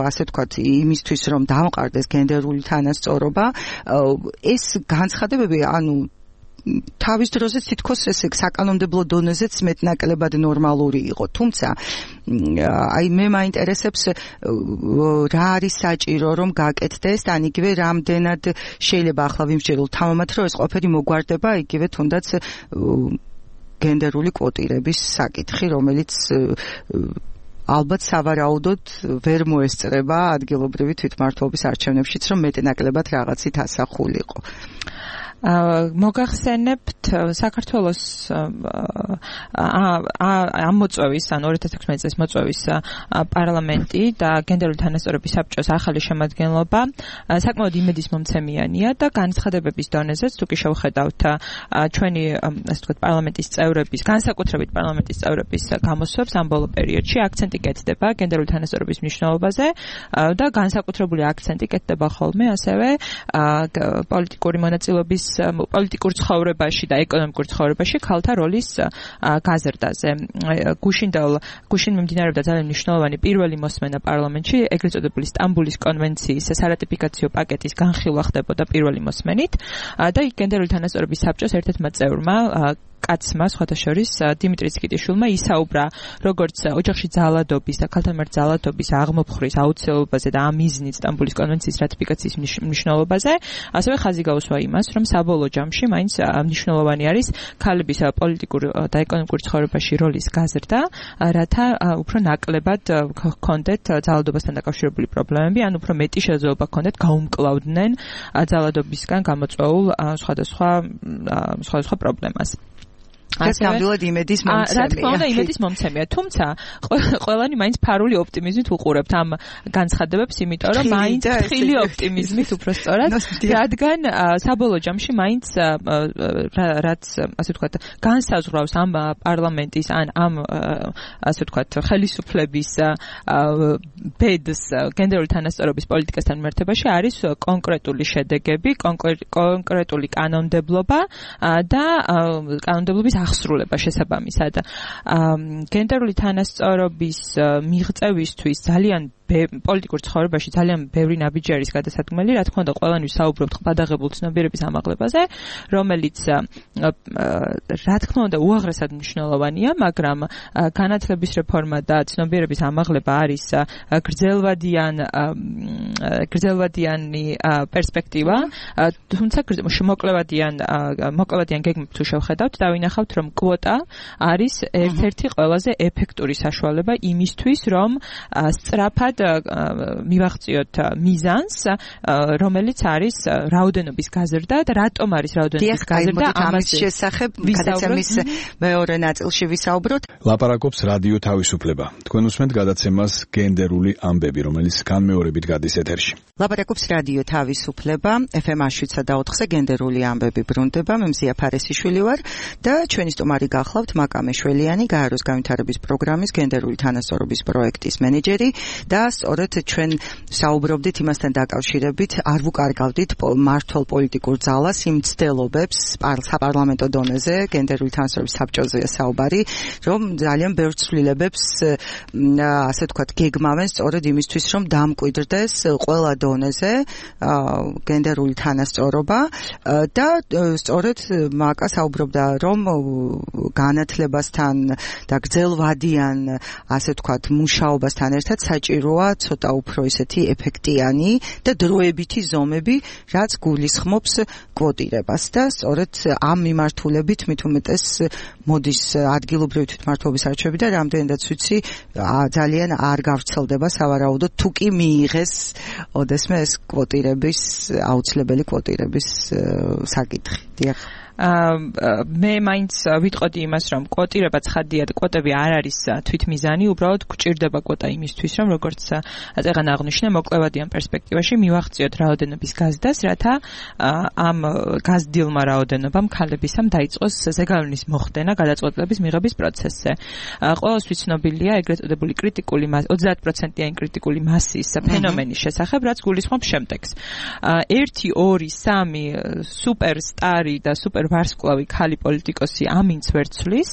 ასე ვთქვათ, იმისთვის რომ დამყარდეს გენდერული თანასწორობა, ეს განცხადებები, ანუ თავის დროზე თითქოს ესე საკანონმდებლო დონეზეც მეტნაკლებად ნორმალური იყო. თუმცა აი მე მაინტერესებს რა არის საჭირო რომ გაკეთდეს, ან იგივე რამდენად შეიძლება ახლა ვიმსჯელოთ თამამად, რომ ეს ყოფილი მოგვარდება იგივე თუნდაც გენდერული კვოტირების საკითხი, რომელიც ალბათ სავარაუდოდ ვერ მოესწრება ადგილობრივი თვითმმართველობის არჩევნებშიც, რომ მეტნაკლებად რაღაცით ასახულიყო. მოგახსენებთ საქართველოს ამ მოწვევის, ან ორი ათას ექვსმეტი წლის მოწვევის პარლამენტი და გენდერული თანასწორობის საბჭოს ახალი შემადგენლობა საკმაოდ იმედის მომცემიანია და განცხადებების დონეზეც თუ კი შევხედავთ ჩვენი ასე ვთქვათ პარლამენტის წევრების, განსაკუთრებით პარლამენტის წევრების გამოსვლებს ამ ბოლო პერიოდში აქცენტი კეთდება გენდერული თანასწორობის მნიშვნელობაზე და განსაკუთრებული აქცენტი კეთდება ხოლმე ასევე პოლიტიკური მონაწილეობის პოლიტიკურ ცხოვრებაში და ეკონომიკურ ცხოვრებაში ქალთა როლის გაზრდაზე. გუშინდელ გუშინ მიმდინარეობდა ძალიან მნიშვნელოვანი პირველი მოსმენა პარლამენტში, ეგრეთ წოდებული სტამბულის კონვენციის სარატიფიკაციო პაკეტის განხილვა ხდებოდა პირველი მოსმენით და გენდერული თანასწორობის საბჭოს ერთ-ერთმა წევრმა კაცმა, სხვათა შორის დიმიტრი ციკიტიშვილმა ისაუბრა როგორც ოჯახში ძალადობის და ქალთა მიმართ ძალადობის აღმოფხვრის აუცილებლობაზე და ამ მიზნით სტამბულის კონვენციის რატიფიკაციის მნიშვნელობაზე, ასევე ხაზი გაუსვა იმას, რომ საბოლოო ჯამში მაინც მნიშვნელოვანი არის ქალების პოლიტიკურ და ეკონომიკურ ცხოვრებაში როლის გაზრდა, რათა უფრო ნაკლებად ჰქონდეთ ძალადობასთან დაკავშირებული პრობლემები, ან უფრო მეტი შესაძლებლობა ჰქონდეთ გაუმკლავდნენ ძალადობისგან გამოწვეულ სხვადასხვა სხვადასხვა პრობლემას. ეს ნამდვილად იმედის მომცემია. რა თქმა უნდა, იმედის მომცემია. თუმცა ყველანი მაინც ფარული ოპტიმიზმით უყურებთ ამ განცხადებებს, იმიტომ რომ მაინც ხილი ოპტიმიზმით უფრო სწორად, რადგან საბოლოო ჯამში მაინც რაც ასე ვთქვათ, განსაზღვრავს ამ პარლამენტის ან ამ ასე ვთქვათ, ხელისუფლების ბედს გენდერული თანასწორობის პოლიტიკასთან მიმართებაში არის კონკრეტული შედეგები, კონკრეტული კანონმდებლობა და კანონმდებლობის აღსრულება შესაბამისად. გენდერული თანასწორობის მიღწევისთვის ძალიან პოლიტიკურ ცხოვრებაში ძალიან ბევრი ნაბიჯი არის გადასადგმელი, რა თქმა უნდა, ყველანი საუბრობთ ყბადაღებულ ცნობიერების ამაღლებაზე, რომელიც რა თქმა უნდა უაღრესად მნიშვნელოვანია, მაგრამ განათლების რეფორმა და ცნობიერების ამაღლება არის გრძელვადიან გრძელვადიანი პერსპექტივა, თუმცა მოკლევადიან მოკლევადიან გეგმით თუ შევხედავთ, დავინახავთ, რომ კვოტა არის ერთ-ერთი ყველაზე ეფექტური საშუალება იმისთვის, რომ სწრაფად მივაღწიოთ მიზანს, რომელიც არის რაოდენობის გაზრდა და რატომ არის რაოდენობის გაზრდა ამას შესახებ გადაცემის მეორე ნაწილში ვისაუბროთ. ლაპარაკობს რადიო თავისუფლება. თქვენ უსმენთ გადაცემას გენდერული ამბები, რომელიც განმეორებით გადის ეთერში. ლაპარაკობს რადიო თავისუფლება, ეფ ემ შვიდსა და ოთხზე გენდერული ამბები ბრუნდება. მე მზია ფარესიშვილი ვარ და ჩვენი სტუმარი გახლავთ მაკა მეშველიანი, გაეროს განვითარების პროგრამის გენდერული თანასწორობის პროექტის მენეჯერი და სწორედ ჩვენ საუბრობდით იმასთან დაკავშირებით, არ ვუკარგავდით მართლ პოლიტიკურ ძალას იმ ცდელობებს საპარლამენტო დონეზე, გენდერული თანასწორობის საბჭოზეა საუბარი, რომ ძალიან ბევრ ცვლილებებს ასე ვთქვათ გეგმავენ სწორედ იმისთვის, რომ დამკვიდრდეს ყველა დონეზე გენდერული თანასწორობა და სწორედ მაკა საუბრობდა, რომ განათლებასთან და გრძელვადიან ასე ვთქვათ მუშაობასთან ერთად საჭიროა ცოტა უფრო ისეთი ეფექტიანი და დროებითი ზომები, რაც გულისხმობს კვოტირებას და სწორედ ამ მიმართულებით მით უმეტეს მოდის ადგილობრივი თვითმმართველობის არჩევები და რამდენადაც ვიცი ძალიან არ გავრცელდება სავარაუდოდ თუ კი მიიღეს ოდესმე ეს კვოტირების აუცილებელი კვოტირების საკითხი. დიახ. მე მაინც ვიტყოდი იმას, რომ კვოტირება ცხადია და კვოტები არ არის თვითმიზანი, უბრალოდ გვჭირდება კვოტა იმისთვის, რომ როგორც წეგან აღნიშნე, მოკლევადიან პერსპექტივაში მივაღწიოთ რაოდენობის გაზრდას, რათა ამ გაზრდილმა რაოდენობამ ქალებისამ დაიწყოს ზეგავლენის მოხდენა გადაწყვეტილების მიღების პროცესზე. ყველასთვის ცნობილია ეგრეთ წოდებული კრიტიკული მასა, ოცდაათ პროცენტიანი კრიტიკული მასის ფენომენის შესახებ, რაც გულისხმობს შემდეგს. ერთი, ორი, სამი სუპერსტარი და სუპერ ვარსკვლავი ქალი პოლიტიკოსი ამინც ვერ ცვლის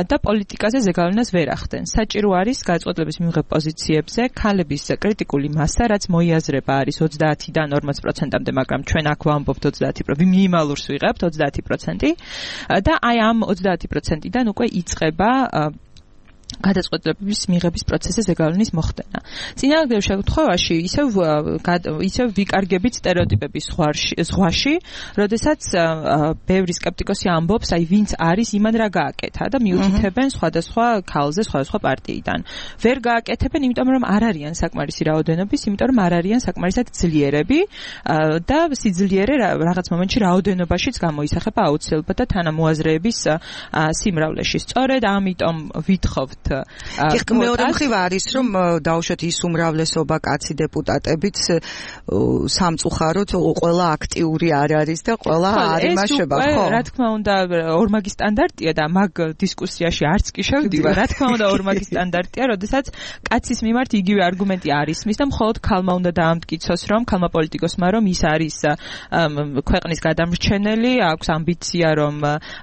და პოლიტიკაზე ზეგავლენას ვერ ახდენს. საჭირო არის გადაწყვეტილების მიღებ პოზიციებზე ქალების კრიტიკული მასა, რაც მოიაზრება არის ოცდაათიდან ორმოც პროცენტამდე, მაგრამ ჩვენ აქ ვამბობთ ოცდაათი პროცენტი, მინიმალურს ვიღებთ ოცდაათი პროცენტი და აი ამ ოცდაათი პროცენტიდან უკვე იწყება გადაწყვეტილების მიღების პროცესზე ზეგავლენის მოხდენა. წინააღმდეგ შემთხვევაში ისევ ისევ ვიკარგებით სტერეოტიპების ზღვაში, როდესაც ბევრი სკეპტიკოსი ამბობს, აი ვინც არის, იმან რა გააკეთა და მიუთითებენ სხვადასხვა ქალზე, სხვადასხვა პარტიიდან. ვერ გააკეთებენ, იმიტომ რომ არ არიან საკმარისი რაოდენობის, იმიტომ რომ არ არიან საკმარისად ძლიერები და სიძლიერე რაღაც მომენტში რაოდენობაშიც გამოისახება აუცილებლად და თანამოაზრეების სიმრავლეში. სწორედ ამიტომ ვითხოვთ მეორე მხრივ არის, რომ დაუშვათ ის უმრავლესობა კაცი დეპუტატებიც სამწუხაროდ ყველა აქტიური არ არის და ყველა არ იმაშება, ხო? რა თქმა უნდა, ორმაგი სტანდარტია და მაგ დისკუსიაში არც კი შევდივარ. რა თქმა უნდა, ორმაგი სტანდარტია, როდესაც კაცის მიმართ იგივე არგუმენტი არ ისმის და მხოლოდ ქალმა უნდა დაამტკიცოს, რომ ქალმა პოლიტიკოსმა რომ ის არის ქვეყნის გადამრჩენელი, აქვს ამბიცია, რომ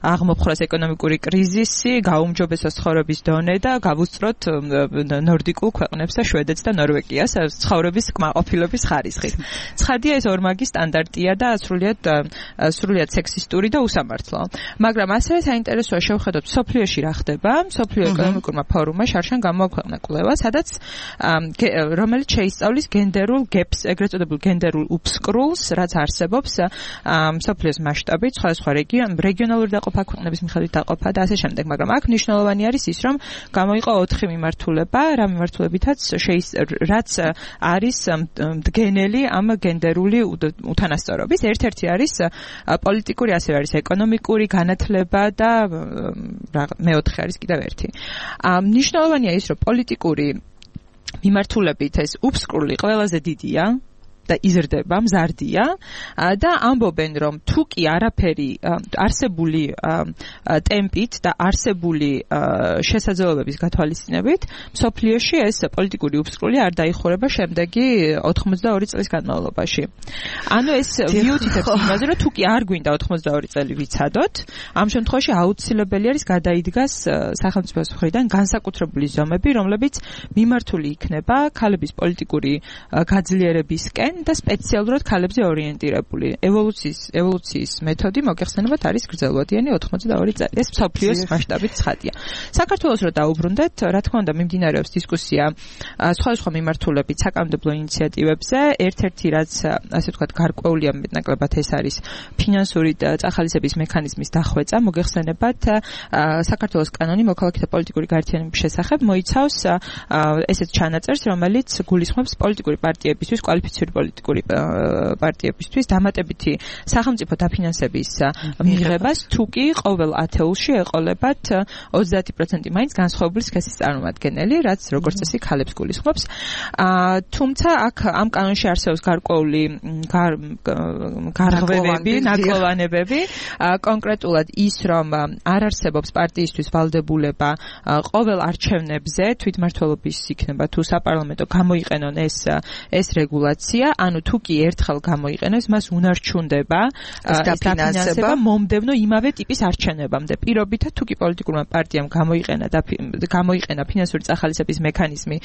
აღმოფხვრას ეკონომიკური კრიზისი, გაუმჯობესოს ცხოვრების დონე და გავუსწროთ ნორდიკულ ქვეყნებს და შვედეთს და ნორვეგიას ცხოვრების კმაყოფილების ხარისხით. ცხადია ეს ორმაგი სტანდარტია და სრულიად სრულიად სექსისტური და უსამართლო. მაგრამ ასევე საინტერესოა შევხედოთ სოფლიოში რა ხდება. სოფლიო ეკონომიკურმა ფორუმმა შარშან გამოაქვეყნა კვლევა, სადაც რომელიც შეისწავლის გენდერულ გეპს, ეგრეთ წოდებულ გენდერულ უფსკრულს, რაც არსებობს სოფლიოს მასშტაბით, სხვადასხვა რეგიონალური დაყოფა, ქვეყნების მიხედვით დაყოფა და ასე შემდეგ. მაგრამ აქ მნიშვნელოვანი არის ის, რომ გამოიყო ოთხი მიმართულება, რა მიმართულებითაც რაც არის მდგენელი ამ გენდერული უთანასწორობის. ერთ-ერთი არის პოლიტიკური, ასევე არის ეკონომიკური, განათლება და მეოთხე არის კიდევ ერთი. მნიშვნელოვანია ის, რომ პოლიტიკური მიმართულებით ეს უფსკრული ყველაზე დიდია. და იზრდება, მზარდია და ამბობენ, რომ თუ კი არაფერი არსებული ტემპით და არსებული შესაძლებლობების გათვალისწინებით, მსოფლიოში ეს პოლიტიკური უსწრული არ დაიხურება შემდეგი ოთხმოცდაორი წლის განმავლობაში. ანუ ეს მიუთითებს იმაზე, რომ თუ კი არ გვინდა ოთხმოცდაორი წელი ვიცადოთ, ამ შემთხვევაში აუცილებელი არის გადაიდგას სახელმწიფოს მხრიდან განსაკუთრებული ზომები, რომლებიც მიმართული იქნება ქალების პოლიტიკური გაძლიერებისკენ და სპეციალურად ქალებზე ორიენტირებული. ევოლუციის ევოლუციის მეთოდი მოგეხსენებათ არის გრძელვადიანი ოთხმოცდაორი წელი. ეს მსოფლიოს მასშტაბით ცხადია. საქართველოს რო დაუბრუნდეთ, რა თქმა უნდა მიმდინარეობს დისკუსია სხვადასხვა მიმართულებით საკანონმდებლო ინიციატივებზე. ერთ-ერთი რაც ასე ვთქვათ გარკვეულია მეტნაკლებად ეს არის ფინანსური წახალისების მექანიზმის დახვეწა. მოგეხსენებათ საქართველოს კანონი მოქალაქეთა პოლიტიკური გაერთიანების შესახებ მოიცავს ესეთ ჩანაწერს, რომელიც გულისხმობს პოლიტიკური პარტიებისთვის, კვალიფიციური პოლიტიკური პარტიებისთვის დამატებითი სახელმწიფო დაფინანსების მიღებას, თუ კი ყოველ ათეულში ეყოლებათ ოცდაათი პროცენტი მაინც განსხვავებული სქესის წარმომადგენელი, რაც როგორც წესი ქალებს გულისხმობს. თუმცა აქ ამ კანონში არსებობს გარკვეული გარღვევები, ნაკლოვანებები, კონკრეტულად ის, რომ არ არსებობს პარტიისთვის ვალდებულება ყოველ არჩევნებზე თვითმმართველობის იქნება თუ საპარლამენტო გამოიყენონ ეს ეს რეგულაცია, ანუ თუ კი ერთხელ გამოიყენოს, მას უნარჩუნდება ეს დაფინანსება მომდევნო იმავე ტიპის არჩევნებამდე. პირობითად თუ კი პოლიტიკურმა პარტიამ გამოიყენა და გამოიყენა ფინანსური წახალისების მექანიზმი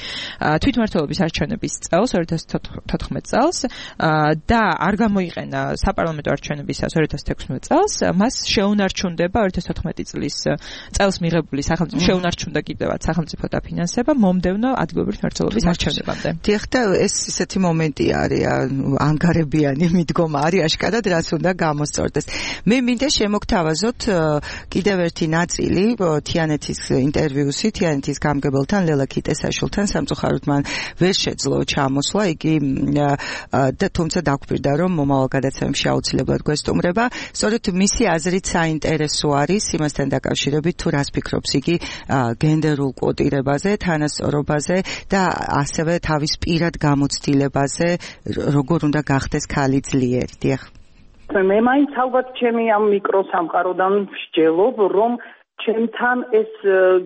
თვითმმართველობის არჩევნების წელს ორი ათას თოთხმეტ წელს და არ გამოიყენა საპარლამენტო არჩევნებისას ორი ათას თექვსმეტ წელს, მას შეუნარჩუნდება ორი ათას თოთხმეტი წლის წელს მიღებული სახელმწიფო შეუნარჩუნდა კიდევაც სახელმწიფო დაფინანსება მომდევნო ადგილობრივი მმართველობის არჩევნებამდე. დიახ, და ეს ისეთი მომენტი არის, ანგარებიანი მიდგომა არის აშკარად, რაც უნდა გამოსწორდეს. მე მინდა შემოგთავაზოთ კიდევ ერთი ნაწილი თიანეთის ინტერვიუსი თიანეთის გამგებელთან ლელა ქიტესაშვილთან. სამწუხაროდ მან ვერ შეძლო ჩამოსვლა, იგი და თუმცა დაგვირდა, რომ მომავალ გადაცემებში აუცილებლად გვესტუმრება. სწორედ მისი აზრით საინტერესო არის იმასთან დაკავშირებით, თუ რას ფიქრობს იგი გენდერულ კვოტირებაზე, თანასწორობაზე და ასევე თავის პირად გამოცდილებაზე, როგორ უნდა გახდეს ქალი ძლიერი. დიახ. მე მაინც ალბათ ჩემი ამ მიკროსამყაროდან ვსჯელობ, რომ ჩემთან ეს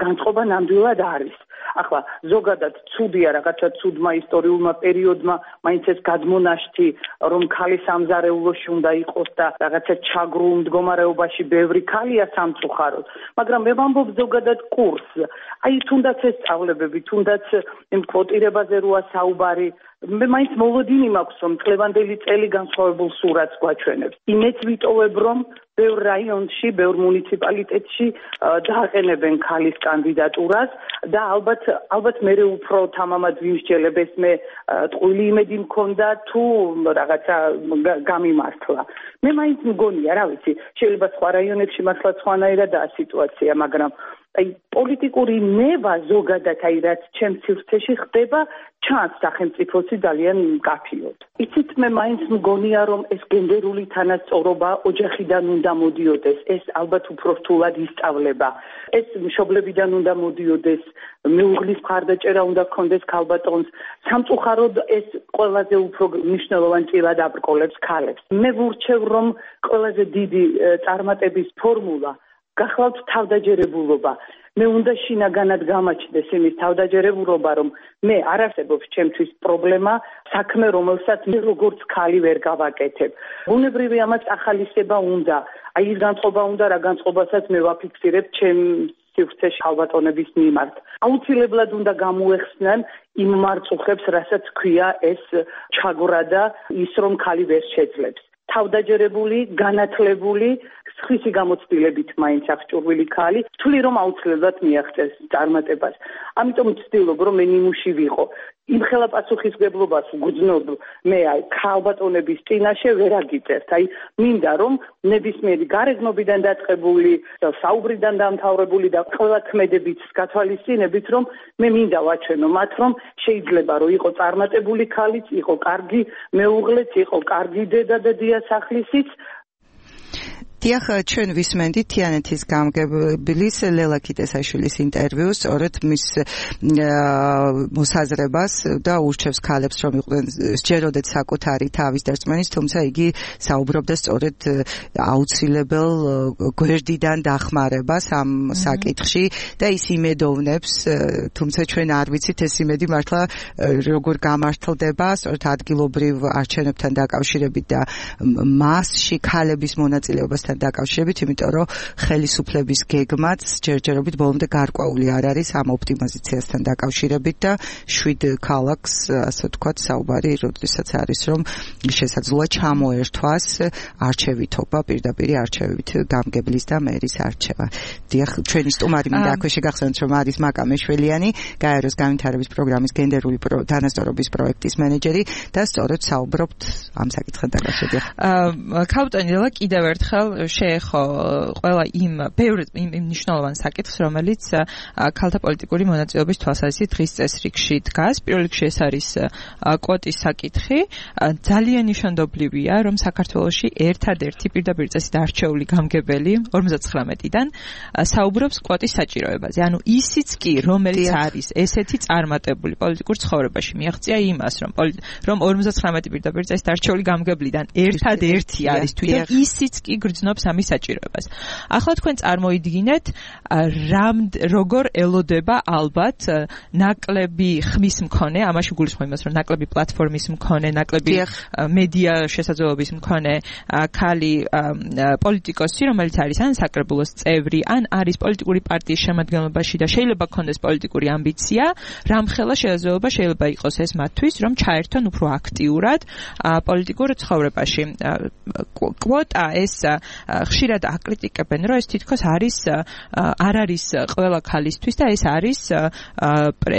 განწყობა ნამდვილად არის. ახლა ზოგადად ცუდია რაღაცა ცუდმა ისტორიულმა პერიოდმა მაინც ეს გადმონაშთი, რომ ქალი სამზარეულოში უნდა იყოს და რაღაცა ჩაგრულ მდგომარეობაში ბევრი ქალია სამწუხაროდ, მაგრამ მე ვამბობ ზოგადად კურსს. აი თუნდაც ეს სწავლებები, თუნდაც იმ კვოტირებაზე როა საუბარი, მე მაინც მოლოდინი მაქვს, რომ წლევანდელი წელი განსხვავებულ სურათს გვაჩვენებს. იმეც ვიტოვებ, რომ ბევრ რაიონში, ბევრ მუნიციპალიტეტში დააყენებენ ქალის კანდიდატურას და ალბათ ალბათ მე უფრო თამამად ვიმსჯელებ, ეს მე ტყუილი იმედი მქონდა თუ რაღაცა გამიმართლა. მე მაინც მგონია, რა ვიცი, შეიძლება სხვა რაიონებში მართლა სხვანაირადაა სიტუაცია, მაგრამ აი პოლიტიკური ნება ზოგადად აი რაც ჩემს სივრცეში ხდება, ჩანს სახელმწიფოსი ძალიან მკაფიოდ. იცით, მე მაინც მგონია, რომ ეს გენდერული თანასწორობა ოჯახიდან უნდა მოდიოდეს, ეს ალბათ უფრო რთულად ისწავლება. ეს მშობლებიდან უნდა მოდიოდეს, მეუღლის მხარდაჭერა უნდა გქონდეს ქალბატონს. სამწუხაროდ ეს ყველაზე უფრო მნიშვნელოვან წილად აბრკოლებს ქალებს. მე ვურჩევ, რომ ყველაზე დიდი წარმატების ფორმულა გახლავთ თავდაჯერებულობა. მე უნდა შინაგანად გამაჩნდეს იმის თავდაჯერებულობა, რომ მე არ არსებობს ჩემთვის პრობლემა, საქმე, რომელსაც მე როგორც ქალი ვერ გავაკეთებ. ბუნებრივი ამას ახალისება უნდა. აი ის განწყობა უნდა, რა განწყობასაც მე ვაფიქსირებ ჩემ სივრცეში ქალბატონების მიმართ. აუცილებლად უნდა გამოეხსნან იმ მარწუხებს, რასაც ქვია ეს ჩაგვრა და ის, რომ ქალი ვერ შეძლებს. თავდაჯერებული, განათლებული, სხვისი გამოცდილებით მაინც აღჭურვილი ქალი, თვლი რომ აუცილებლად მიაღწევს წარმატებას. ამიტომ ვცდილობ, რომ მე ნიმუში ვიყო. იმხელა პასუხისგებლობას ვგრძნობ მე აი ქალბატონების წინაშე ვერ აგიწერთ. აი მინდა რომ ნებისმიერი გარეგნობიდან დაწყებული, საუბრიდან დამთავრებული და ყველა ქმედებით გათვალისწინებით, რომ მე მინდა ვაჩვენო მათ, რომ შეიძლება რომ იყო წარმატებული ქალიც, იყო კარგი მეუღლეც, იყო კარგი დედა და დიასახლისიც. დიახ, ჩვენ ვისმენდით თიანეთის გამგებლის ლელა კიტესაშვილის ინტერვიუს, სწორედ მის მოსაზრებას და ურჩევს ქალებს, რომ იყვნენ სჯეროდეთ საკუთარი თავის დარწმენის, თუმცა იგი საუბრობდა სწორედ აუცილებელ გვერდიდან დახმარებას ამ საკითხში და ის იმედოვნებს, თუმცა ჩვენ არ ვიცით ეს იმედი მართლა როგორ გამართლდება, სწორედ ადგილობრივ არჩევნებთან დაკავშირებით და მასში ქალების მონაწილეობასთან დაკავშირებით, იმიტომ რომ ხელისუფლების გეგმაც ჯერჯერობით ბოლომდე გარკვეული არ არის ამ ოპტიმიზაციასთან დაკავშირებით და შვიდ ქალაქს, ასე ვთქვათ, საუბარი, როდესაც არის, რომ შესაძლოა ჩამოერთვას არჩევითობა, პირდაპირ არჩევით გამგებლის და მერის არჩევა. დიახ, ჩვენი სტუმარი მინდა აქვე შეგახსენოთ, რომ არის მაკა მეშველიანი, გაეროს განვითარების პროგრამის გენდერული თანასწორობის პროექტის მენეჯერი და სწორედ საუბრობთ ამ საკითხთან დაკავშირებით. ქალბატონი ლელა კიდევ ერთხელ შეეხო ყველა იმ ბევრ იმ მნიშვნელოვან საკითხს, რომელიც ქალთა პოლიტიკური მონაწილეობის თვალსაზრისით დღის წესრიგში დგას. პირველ რიგში ეს არის კვოტის საკითხი. ძალიან ნიშანდობლივია, რომ საქართველოში ერთადერთი პირდაპირ წესით არჩეული გამგებელი ორმოცდათხრამეტიდან საუბრობს კვოტის საჭიროებაზე. ანუ ისიც კი, რომელიც არის ესეთი წარმატებული პოლიტიკურ ცხოვრებაში, მიაღწია იმას, რომ რომ ორმოცდათხრამეტი პირდაპირ წესით არჩეული გამგებლიდან ერთადერთი არის თვითონ ისიც კი გრძნობს ამის საჭიროებას. ახლა თქვენ წარმოიდგინეთ, რამ როგორ ელოდება ალბათ ნაკლები ხმის მქონე, ამაში გულისხმობ იმას, რომ ნაკლები პლატფორმის მქონე, ნაკლები მედია შესაძლებლობის მქონე ქალი პოლიტიკოსი, რომელიც არის ან საკრებულოს წევრი, ან არის პოლიტიკური პარტიის შემადგენლობაში და შეიძლება ქონდეს პოლიტიკური ამბიცია, რამხელა შესაძლებლობა შეიძლება იყოს ეს მათთვის, რომ ჩაერთონ უფრო აქტიურად პოლიტიკურ ცხოვრებაში. კვოტა ეს ხშირად აკრიტიკებენ, რომ ეს თითქოს არის არ არის ყველა ქალისთვის და ეს არის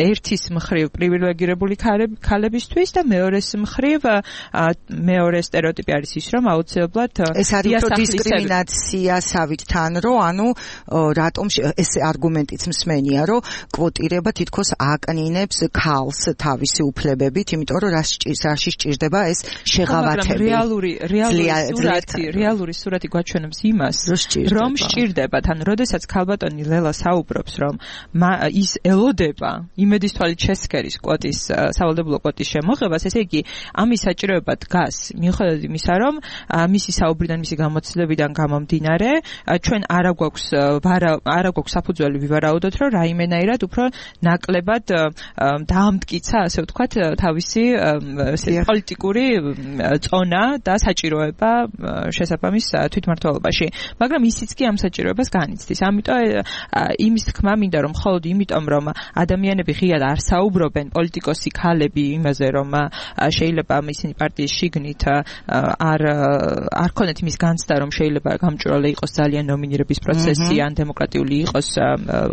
ერთის მხრივ პრივილეგირებული ქალებისთვის და მეორეს მხრივ მეორე სტერეოტიპი არის ის, რომ აუცილებლად ეს არის უფრო დისკრიმინაციასავით თან, რომ ანუ რატომ ეს არგუმენტიც მსმენია, რომ კვოტირება თითქოს აკნინებს ქალს თავისი უფლებებით, იმიტომ რომ რაში სჭირდება ეს შეღავათები. რეალური რეალური სურათი, რეალური სურათი გვაჩვენებს იმას, რომ სჭირდებათ, ანუ როდესაც ქალბატონი ლელა საუბრობს, რომ ის ელოდება იმედის თვალით შესქერის კვოტის სავალდებულო კვოტის შემოღებას, ესე იგი ამის საჭიროება დგას მიუხედავად იმისა, რომ მისი საუბრიდან, მისი გამოცდილებიდან გამომდინარე, ჩვენ არა გვაქვს არა გვაქვს საფუძველი ვივარაუდოთ, რომ რაიმენაირად უფრო ნაკლებად დაამტკიცა, ასე ვთქვათ, თავისი პოლიტიკური წონა და საჭიროება შესაბამის თვითმმართველობაში. მაგრამ ისიც კი ამ საჭიროებას განიცდის. ამიტომ იმის თქმა მინდა, რომ მხოლოდ იმიტომ, რომ ადამიანები ღიად არ საუბრობენ, პოლიტიკოსი ქალები იმაზე, რომ შეიძლება ისინი პარტიის შიგნით არ არ ქონეთ იმის განცდა, რომ შეიძლება გამჭვირვალე იყოს ძალიან ნომინირების პროცესი ან დემოკრატიული იყოს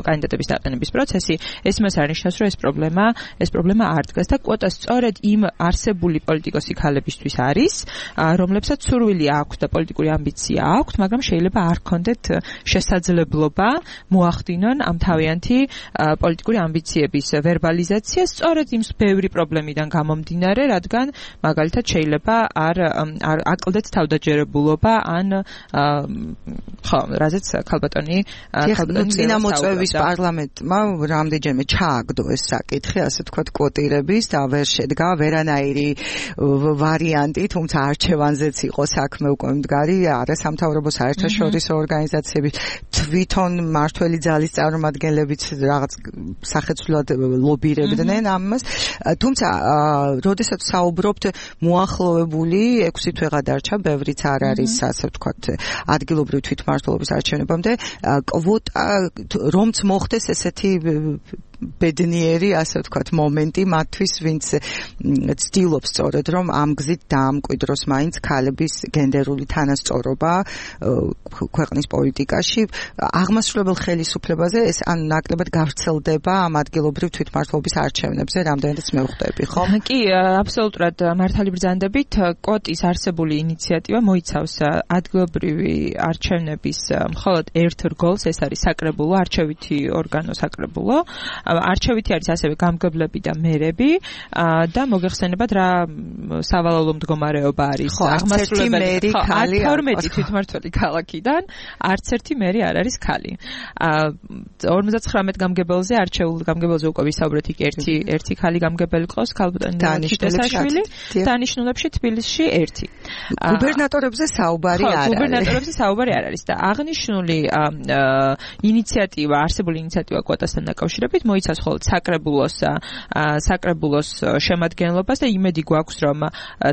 კანდიდატების დაყენების პროცესი, ეს მას არ ნიშნავს, რომ ეს პრობლემა ეს პრობლემა არ დგას და კვოტა სწორედ იმ არსებული პოლიტიკოსი ქალებისთვის არის, რომლებსაც სურვილი აქვს და პოლიტიკური ამბიცია აქვს, მაგრამ შეიძლება არ ქონდეთ შესაძლებლობა მოახდინონ ამ თავიანთი პოლიტიკური ამბიციების ვერბალიზაცია სწორედ იმ ბევრი პრობლემიდან გამომდინარე, რადგან მაგალითად შეიძლება არ არ აკლდეთ თავდაჯერებულობა ან ხო, რაზეც ქალბატონი ქალბატონი წინამოწვევის პარლამენტმა რამდენჯერმე ჩააგდო ეს საკითხი, ასე ვთქვათ, კვოტირების და ვერ შედგა ვერანაირი ვარიანტი, თუმცა არჩევანზეც იყო საქმე უკვე მდგარი, არასამთავრობო საერთაშორისო ორგანიზაციები, თვითონ მართველი ძალის წარმომადგენლებიც რაღაც სახეცვლად ლობირებდნენ ამას. თუმცა, როდესაც საუბრობთ მოახლოვებული ექვსი თვე გადარჩა, ბევრიც არ არის, ასე ვთქვათ, ადგილობრივი თვითმმართველობის არჩევნებამდე, კვოტა რომც მოხდეს ესეთი ბედნიერი, ასე ვთქვათ, მომენტი მათთვის, ვინც ცდილობს სწორედ, რომ ამ გზით დაამკვიდროს მაინც ქალების გენდერული თანასწორობა ქვეყნის პოლიტიკაში. აღმასრულებელ ხელისუფლებაზე ეს ან ნაკლებად გავრცელდება ამ ადგილობრივ თვითმმართველობის არჩევნებზე, რამდენადაც მე ვხვდები, ხო? კი, აბსოლუტურად მართალი ბრძანდებით, კვოტის არსებული ინიციატივა მოიცავს ადგილობრივი არჩევნების მხოლოდ ერთ რგოლს, ეს არის საკრებულო არჩევითი ორგანო საკრებულო. არჩევითი არის ასევე გამგებლები და მერები და მოგეხსენებათ რა სავალალო მდგომარეობა არის აღმასრულებელი ქალი თორმეტი თვითმმართველი ქალაქიდან არც ერთი მერი არ არის ქალი. ორმოცდათხრამეტ გამგებელზე არჩეულ გამგებელზე უკვე ვისაუბრეთ, იქ ერთი ერთი ქალი გამგებელი ყავს, ქალბატონი ჩიტესაშვილი, დანიშნულებში თბილისში ერთი. გუბერნატორებზე საუბარი არ არის. გუბერნატორებზე საუბარი არ არის და აღნიშნული ინიციატივა, არსებული ინიციატივა კვოტასთან დაკავშირებით მოიცავს მხოლოდ საკრებულოს საკრებულოს შემადგენლობას და იმედი გვაქვს, რომ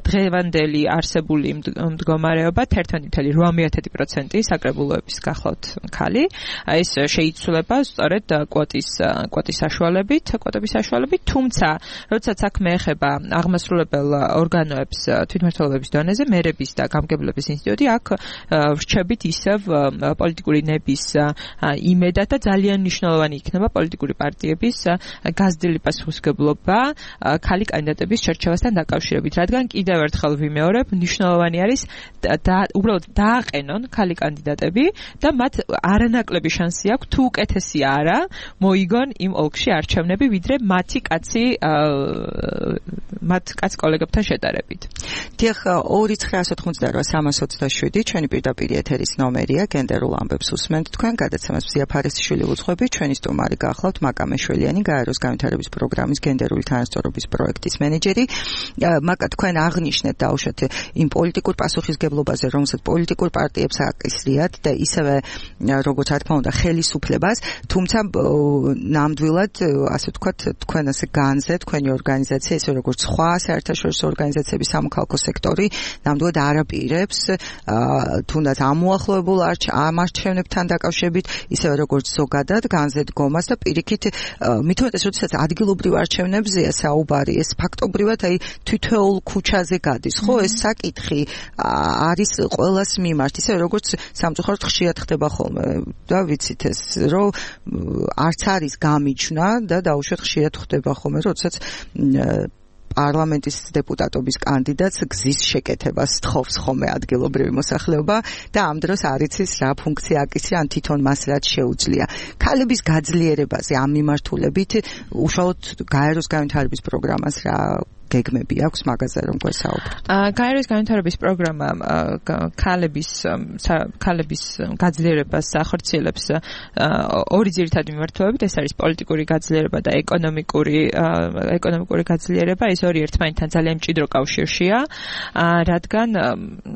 დღევანდელი არსებული მდგომარეობა ერთმანეთი წელი ორმოცდაათი პროცენტი საკრებულოების გახლავთ ქალი. ეს შეიცვლება სწორედ კვოტის კვოტის საშუალებით, კვოტების საშუალებით, თუმცა როდესაც საქმე ეხება აღმასრულებელ ორგანოებს თვითმმართველობის დონეზე, მერების და გამგებლების ინსტიტუტი, აქ ვრჩებით ისევ პოლიტიკური ნების იმედად და ძალიან მნიშვნელოვანი იქნება პოლიტიკური პარტიების გაზრდილი პასუხისმგებლობა ქალი კანდიდატების შერჩევასთან დაკავშირებით, რადგან კიდევ ერთხელ ვიმეორებ, მნიშვნელოვანი არის და უბრალოდ დააყენონ ქალი კანდიდატები და მათ არანაკლები შანსი აქვს თუ უკეთესი არა მოიგონ იმ ოლქში არჩევნები, ვიდრე მათი კაცი მათ კაც კოლეგებთან შედარებით. დიახ, ორი ცხრა ათოთხმოცდაოთხ სამას ოცდაშვიდი ჩვენი პირდაპირ ეთერის ნომერია, გენდერულ ამბებს უსმენთ თქვენ, გადაცემას მზია ფარისიშვილი უძღვები, ჩვენი სტუმარი გახლავთ მაკა მეშველიანი, გაეროს განვითარების პროგრამის გენდერული თანასწორობის პროექტის მენეჯერი. მაკა, თქვენ აღნიშნეთ დაუშვათ იმ პოლიტიკურ პასუხისმგებლობაზე, რომელსაც პოლიტიკურ პარტიებს აკისრიათ და ისევე როგორც რა თქმა უნდა ხელისუფლებას, თუმცა ნამდვილად ასე ვთქვათ, თქვენ ასე განზე, თქვენი ორგანიზაცია, ისე როგორც სხვა საერთაშორისო ორგანიზაციების სამოქალაქო სექტორი, ნამდვილად არაპირებს თუნდაც ამოახლოებულ ამ არჩევნებთან დაკავშირებით, ისევე როგორც ზოგადად განზე დგომას და პირიქით მithumetes როდესაც ადგილობრივ არჩევნებზეა საუბარი, ეს ფაქტობრივად აი თითოეულ ქუჩაზე გადის, ხო, ეს საკითხი არის ყველას მიმართ, ისე როგორც სამწუხაროდ ხშირად ხდება ხოლმე და ვიცით ეს, რომ არც არის გამიჩნა და დაუშვათ ხშირად ხდება ხოლმე, როდესაც პარლამენტის დეპუტატობის კანდიდატს გზის შეკეთებას თხოვს ხოლმე ადგილობრივი მოსახლეობა და ამ დროს არ იცის რა ფუნქცია აკისრია, ან თვითონ მას რაც შეუძლია. ქალების გაძლიერებაზე ამ მიმართულებით უშუალოდ გაეროს განვითარების პროგრამას რა გეგმები აქვს მაგაზე რომ გვესაუბროთ. გაეროს განვითარების პროგრამა ქალების ქალების გაძლიერებას ახორციელებს ორი ძირითადი მიმართულებით, ეს არის პოლიტიკური გაძლიერება და ეკონომიკური ეკონომიკური გაძლიერება, ეს ორი ერთმანეთთან ძალიან მჭიდრო კავშირშია, რადგან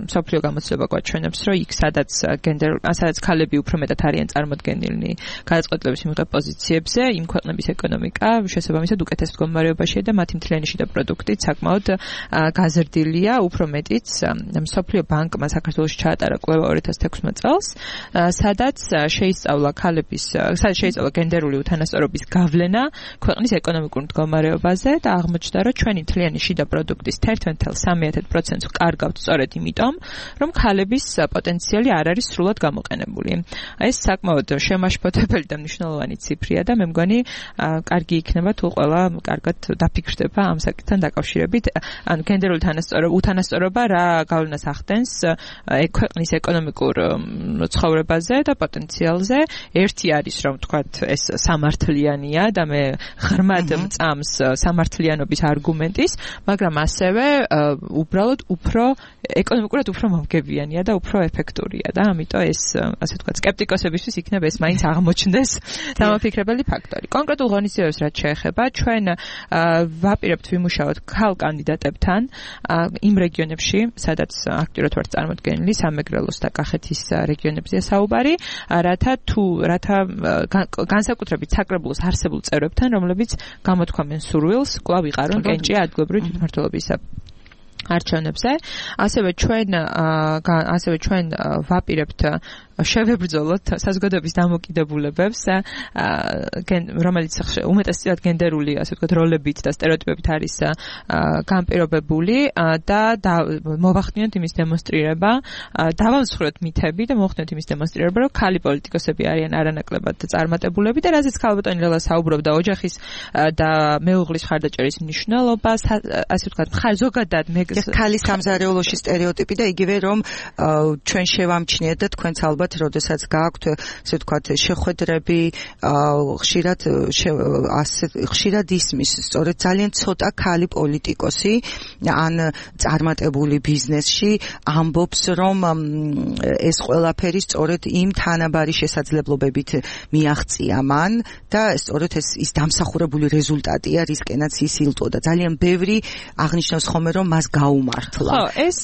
მსოფლიო გამოცდილება გვაჩვენებს, რომ იქ სადაც გენდერ სადაც ქალები უფრო მეტად არიან წარმოდგენილნი გადაწყვეტილების მიღებ პოზიციებზე, იმ ქვეყნების ეკონომიკა შესაბამისად უკეთეს მდგომარეობაშია და მათი მთლიანი შიდა პროდუქტი საკმაოდ გაზრდილია, უფრო მეტიც მსოფლიო ბანკმა საქართველოში ჩაატარა კვლევა ორი ათას თექვსმეტ წელს, სადაც შეისწავლა ქალების, სადაც შეისწავლა გენდერული უთანასწორობის გავლენა ქვეყნის ეკონომიკურ მდგომარეობაზე და აღმოჩნდა, რომ ჩვენი მთლიანი შიდა პროდუქტის ერთადერთი წუთი სამი პროცენტს ვკარგავთ სწორედ იმიტომ, რომ ქალების პოტენციალი არ არის სრულად გამოყენებული. ეს საკმაოდ შემაშფოთებელი და მნიშვნელოვანი ციფრია და მე მგონი კარგი იქნება თუ ყველა კარგად დაფიქრდება ამ საკითხთან დაკავშირებით, ანუ გენდერული უთანასწორობა რა გავლენას ახდენს ქვეყნის ეკონომიკურ ცხოვრებაზე და პოტენციალზე. ერთი არის, რომ თქვათ, ეს სამართლიანია და მე ღრმად მწამს სამართლიანობის არგუმენტის, მაგრამ ასევე უბრალოდ უფრო ეკონომიკურად უფრო მომგებიანია და უფრო ეფექტურია და ამიტომ ეს ასე ვთქვათ, სკეპტიკოსებისთვის იქნება ეს მაინც აღმოჩნდეს დამაფიქრებელი ფაქტორი. კონკრეტულ ღონისძიებებს რაც შეეხება, ჩვენ ვაპირებთ ვიმუშაოთ ქალ კანდიდატებთან იმ რეგიონებში, სადაც აქტიურად ვართ წარმოდგენილი, სამეგრელოს და კახეთის რეგიონებზეა საუბარი, რათა თუ რათა განსაკუთრებით საკრებულოს არსებულ წევრებთან, რომლებიც გამოთქვამენ სურვილს, კვლავ ვიყარონ კენჭი ადგილობრივი თვითმმართველობის არჩევნებზე. ასევე ჩვენ ასევე ჩვენ ვაპირებთ შევებრძოლოთ საზოგადოების დამოკიდებულებებს, რომელიც უმეტესწილად გენდერული, ასე ვთქვათ, როლებით და სტერეოტიპებით არის განპირობებული და მოვახდინოთ იმის დემონსტრირება, დავამსხვროთ მითები და მოვახდინოთ იმის დემონსტრირება, რომ ქალი პოლიტიკოსები არიან არანაკლებად წარმატებულები და რაზეც ქალბატონი ლელა საუბრობდა ოჯახის და მეუღლის მხარდაჭერის მნიშვნელობას, ასე ვთქვათ, ზოგადად მე ქალის სამზარეულოში სტერეოტიპი და იგივე რომ ჩვენ შევამჩნიეთ და თქვენც ალბათ ალბათ როდესაც გააქვთ ესე ვთქვათ შეხვედრები ხშირად ასე ხშირად ისმის სწორედ ძალიან ცოტა ქალი პოლიტიკოსი ან წარმატებული ბიზნესში ამბობს რომ ეს ყველაფერი სწორედ იმ თანაბარი შესაძლებლობებით მიაღწია მან და სწორედ ეს ის დამსახურებული რეზულტატია რისკენაც ის ილტოდა ძალიან ბევრი აღნიშნავს ხოლმე რომ მას გაუმართლა ხო ეს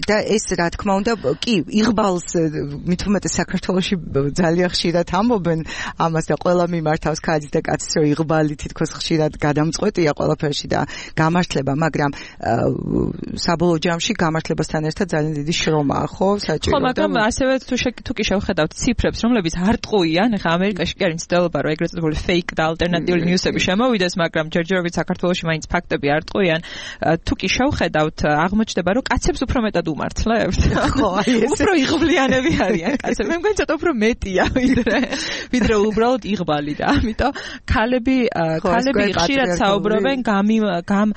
და ეს რა თქმა უნდა კი იღბალს მით უმეტეს საქართველოში ძალიან ხშირად ამბობენ ამას და ყველა მიმართავს ქალს და კაცს რომ იღბალი თითქოს ხშირად გადამწყვეტია ყველაფერში და გამართლება მაგრამ საბოლოო ჯამში გამართლებასთან ერთად ძალიან დიდი შრომაა ხო საჭირო ხო მაგრამ ასევე თუ თუ კი შევხედავთ ციფრებს რომლებიც არ ტყუიან ეხლა ამერიკაში კი არის მცდელობა რომ ეგრეთ წოდებული fake და ალტერნატიული ნიუსები შემოვიდეს მაგრამ ჯერჯერობით საქართველოში მაინც ფაქტები არ ტყუიან თუ კი შევხედავთ აღმოჩნდება რომ კაცებს უფრო მეტად უმართლებთ ხო აი ეს უფრო იღბლიანები არიან კაცები მე მგონი ცოტა უფრო მეტია ვიდრე ვიდრე უბრალოდ იღბალი და ამიტომ ქალები ქალები ხშირად საუბრობენ გამი გამ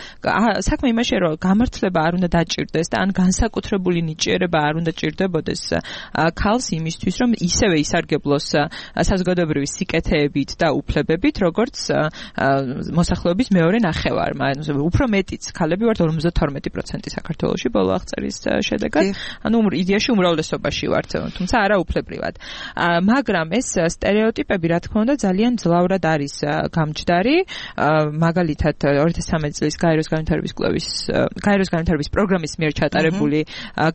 საქმე იმაშია რომ გამართლება არ უნდა დაჭირდეს და ან განსაკუთრებული ნიჭიერება არ უნდა ჭირდებოდეს ქალს იმისთვის რომ ისევე ისარგებლოს საზოგადოებრივი სიკეთეებით და უფლებებით როგორც მოსახლეობის მეორე ნახევარმა უფრო მეტიც ქალები ვართ ორმოცდათორმეტი პროცენტი საქართველოში ბოლო აღწერის შედეგად ანუ იდეაში უმრავლესობაში ვართ თუმცა არა უფლებრივად მაგრამ ეს სტერეოტიპები რა თქმა უნდა ძალიან ძლავრად არის გამჯდარი მაგალითად ორი ათას სამი წლის გაეროს განვითარების კლუბის გაეროს განვითარების პროგრამის მიერ ჩატარებული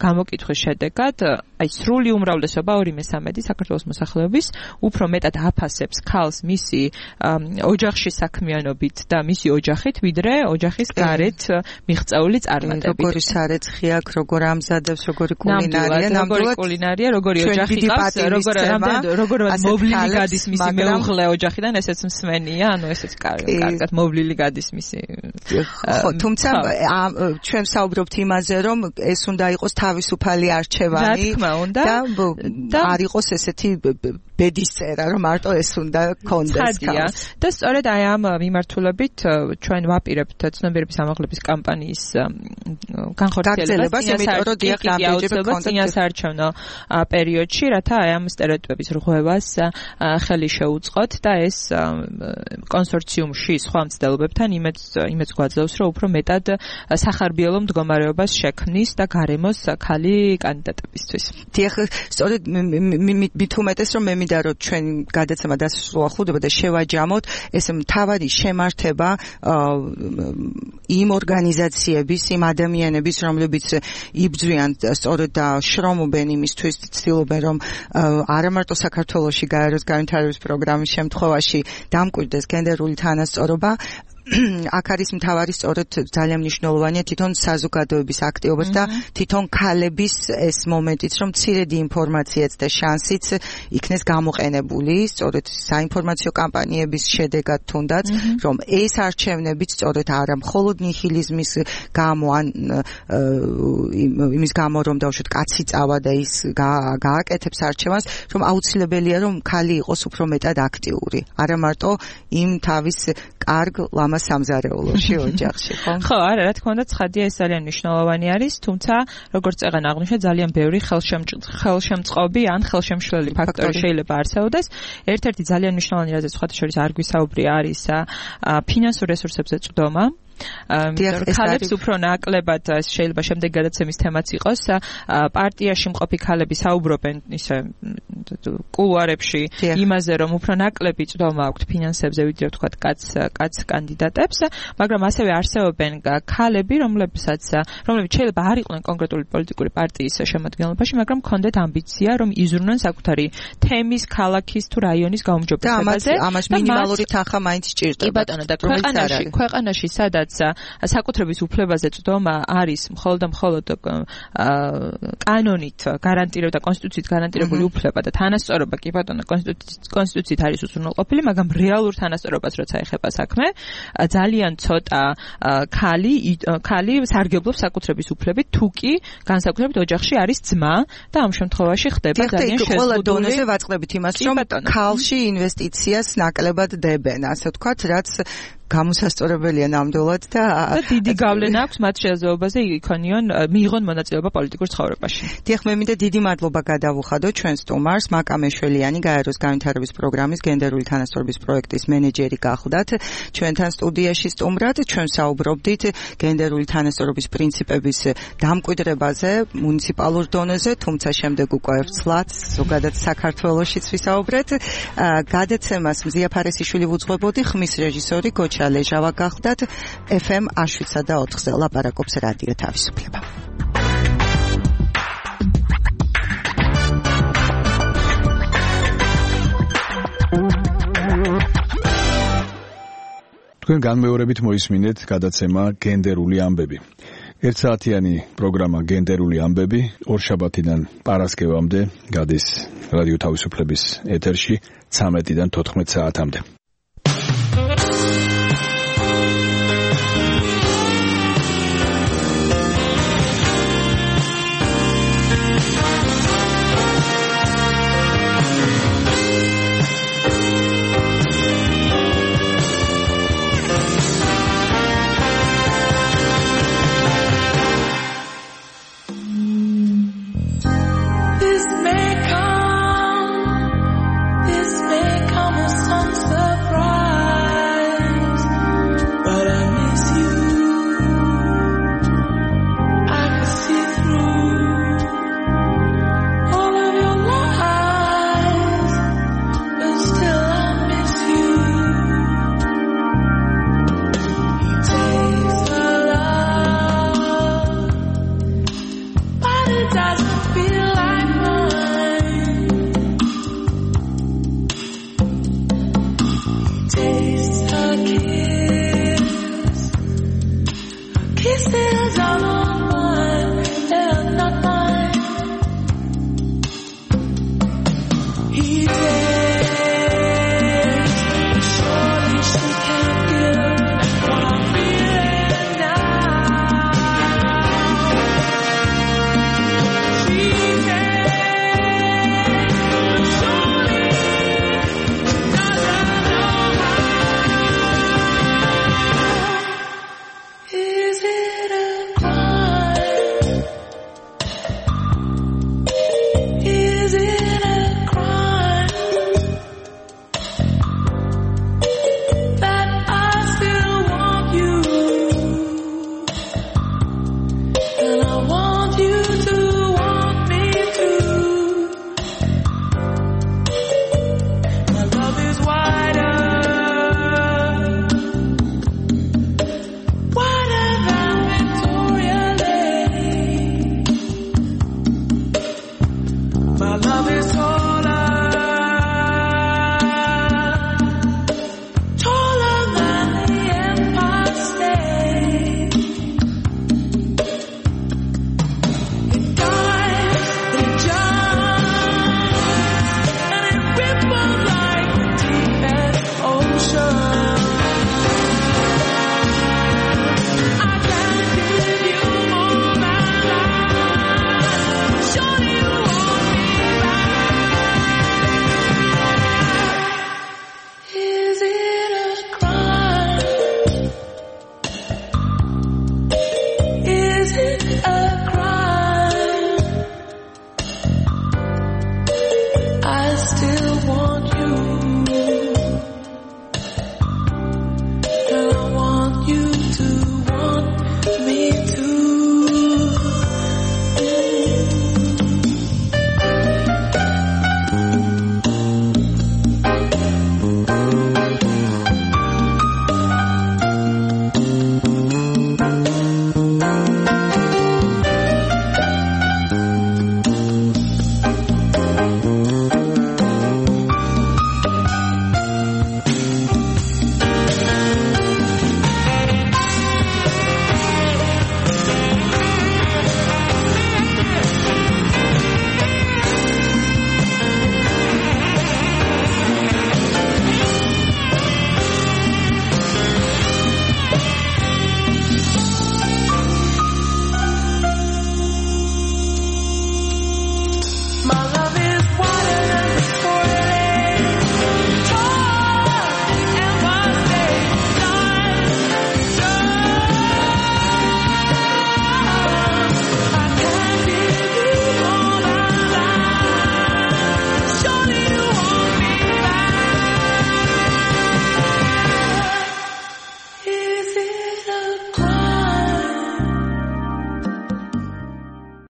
გამოკითხვის შედეგად აი სრული უმრავლესობა ორი მესამედი საქართველოს მოსახლეობის უფრო მეტად აფასებს ქალს მისი ოჯახში საქმიანობით და მისი ოჯახით ვიდრე ოჯახის გარეთ მიღწეული წარმატებით როგორი სარეცხი აქვს როგორ ამზადებს როგორი კულინარია ნამდვილად კულინარია როგორი ოჯახი ყავს როგორ როგორ მოვლილი გადის მისი მეუღლე ოჯახიდან ესეც მსმენია ანუ ესეც კარგად მოვლილი გადის მისი ხო თუმცა ჩვენ ვსაუბრობთ იმაზე რომ ეს უნდა იყოს თავისუფალი არჩევანი და არ იყოს ესეთი ბედისწერა რომ მარტო ეს უნდა კონდეს ქალს და სწორედ აი ამ მიმართულებით ჩვენ ვაპირებთ ცნობიერების ამაღლების კამპანიის განხორციელებას წინასაარჩევნო პერიოდში რათა აი ამ სტერეოტიპების რღვევას ხელი შეუწყოთ და ეს კონსორციუმში სხვა მცდელობებთან იმეც იმეც გვაძლევს რომ უფრო მეტად სახარბიელო მდგომარეობას შექმნის და გარემოს ქალი კანდიდატებისთვის. დიახ, სწორედ მით უმეტეს რომ მე მინდა რომ ჩვენ გადაცემა დასრულდა ხვდება და შევაჯამოთ ეს მთავარი შემართება იმ ორგანიზაციების, იმ ადამიანების, რომლებიც იბრძვიან სწორედ და შრომობენ იმისთვის, ცდილობენ რომ არა მარტო საქართველოში გაეროს განვითარების პროგრამის შემთხვევაში დამკვიდრდეს გენდერული თანასწორობა აქ არის მთავარი სწორედ ძალიან მნიშვნელოვანია თვითონ საზოგადოების აქტივობაც და თვითონ ქალების ეს მომენტიც რომ მცირედი ინფორმაციაც და შანსიც იქნეს გამოყენებული სწორედ საინფორმაციო კამპანიების შედეგად თუნდაც რომ ეს არჩევნებიც სწორედ არა მხოლოდ ნიჰილიზმის გამო ან იმის გამო რომ დავუშვათ კაცი წავა და ის გააკეთებს არჩევანს რომ აუცილებელია რომ ქალი იყოს უფრო მეტად აქტიური არა მარტო იმ თავის კარგ სამზარეულოში ოჯახში ხო? ხო, არა, რა თქმა უნდა, ცხადია ეს ძალიან მნიშვნელოვანი არის, თუმცა როგორც წეგან აღნიშნა, ძალიან ბევრი ხელშემწყობი ან ხელშემშლელი ფაქტორი შეიძლება არსებობდეს. ერთ-ერთი ძალიან მნიშვნელოვანი რაზეც სხვათა შორის არ გვისაუბრია არის ფინანსურ რესურსებზე წვდომა. ქალებს უფრო ნაკლებად შეიძლება შემდეგ გადაცემის თემაც იყოს პარტიაში მყოფი ქალები საუბრობენ ისე კულუარებში იმაზე რომ უფრო ნაკლები წვდომა აქვთ ფინანსებზე ვიდრე ვთქვათ კაც კაც კანდიდატებს მაგრამ ასევე არსებობენ ქალები რომლებსაც რომლებიც შეიძლება არ იყვნენ კონკრეტული პოლიტიკური პარტიის შემადგენლობაში მაგრამ ჰქონდეთ ამბიცია რომ იზრუნონ საკუთარი თემის ქალაქის თუ რაიონის გაუმჯობესებაზე და ამას მინიმალური თანხა მაინც სჭირდება კი ბატონო და ქვეყანაში ქვეყანაში სადაც საკუთრების უფლებაზე წვდომა არის მხოლოდ და მხოლოდ კანონით გარანტირებული და კონსტიტუციით გარანტირებული უფლება და თანასწორობა კი ბატონო კონსტიტუციით არის უზრუნველყოფილი, მაგრამ რეალურ თანასწორობას როცა ეხება საქმე, ძალიან ცოტა ქალი ქალი სარგებლობს საკუთრების უფლებით, თუ კი განსაკუთრებით ოჯახში არის ძმა და ამ შემთხვევაში ხდება ძალიან შეზღუდული. ყველა დონეზე ვაწყდებით იმას, რომ ქალში ინვესტიციას ნაკლებად დებენ, ასე ვთქვათ, რაც გამოსასწორებელია ნამდვილად და და დიდი გავლენა აქვს მათ შესაძლებლობაზე იქონიონ მიიღონ მონაწილეობა პოლიტიკურ ცხოვრებაში. დიახ, მე მინდა დიდი მადლობა გადავუხადო ჩვენ სტუმარს, მაკა მეშველიანი, გაეროს განვითარების პროგრამის გენდერული თანასწორობის პროექტის მენეჯერი გახლდათ. ჩვენთან სტუდიაში სტუმრად ჩვენ საუბრობდით გენდერული თანასწორობის პრინციპების დამკვიდრებაზე მუნიციპალურ დონეზე, თუმცა შემდეგ უკვე ვცლად ზოგადად საქართველოშიც ვისაუბრეთ. გადაცემას მზია ფარესიშვილი ვუძღვებოდი, ხმის რეჟისორი გოჩა ლეჟავა გახლდათ. ეფ ემ შვიდსა და ოთხზე ლაპარაკობს რადიო თავისუფლება. თქვენ განმეორებით მოისმინეთ გადაცემა გენდერული ამბები. ერთსაათიანი პროგრამა გენდერული ამბები ორშაბათიდან პარასკევამდე გადის რადიო თავისუფლების ეთერში ცამეტიდან თოთხმეტ საათამდე.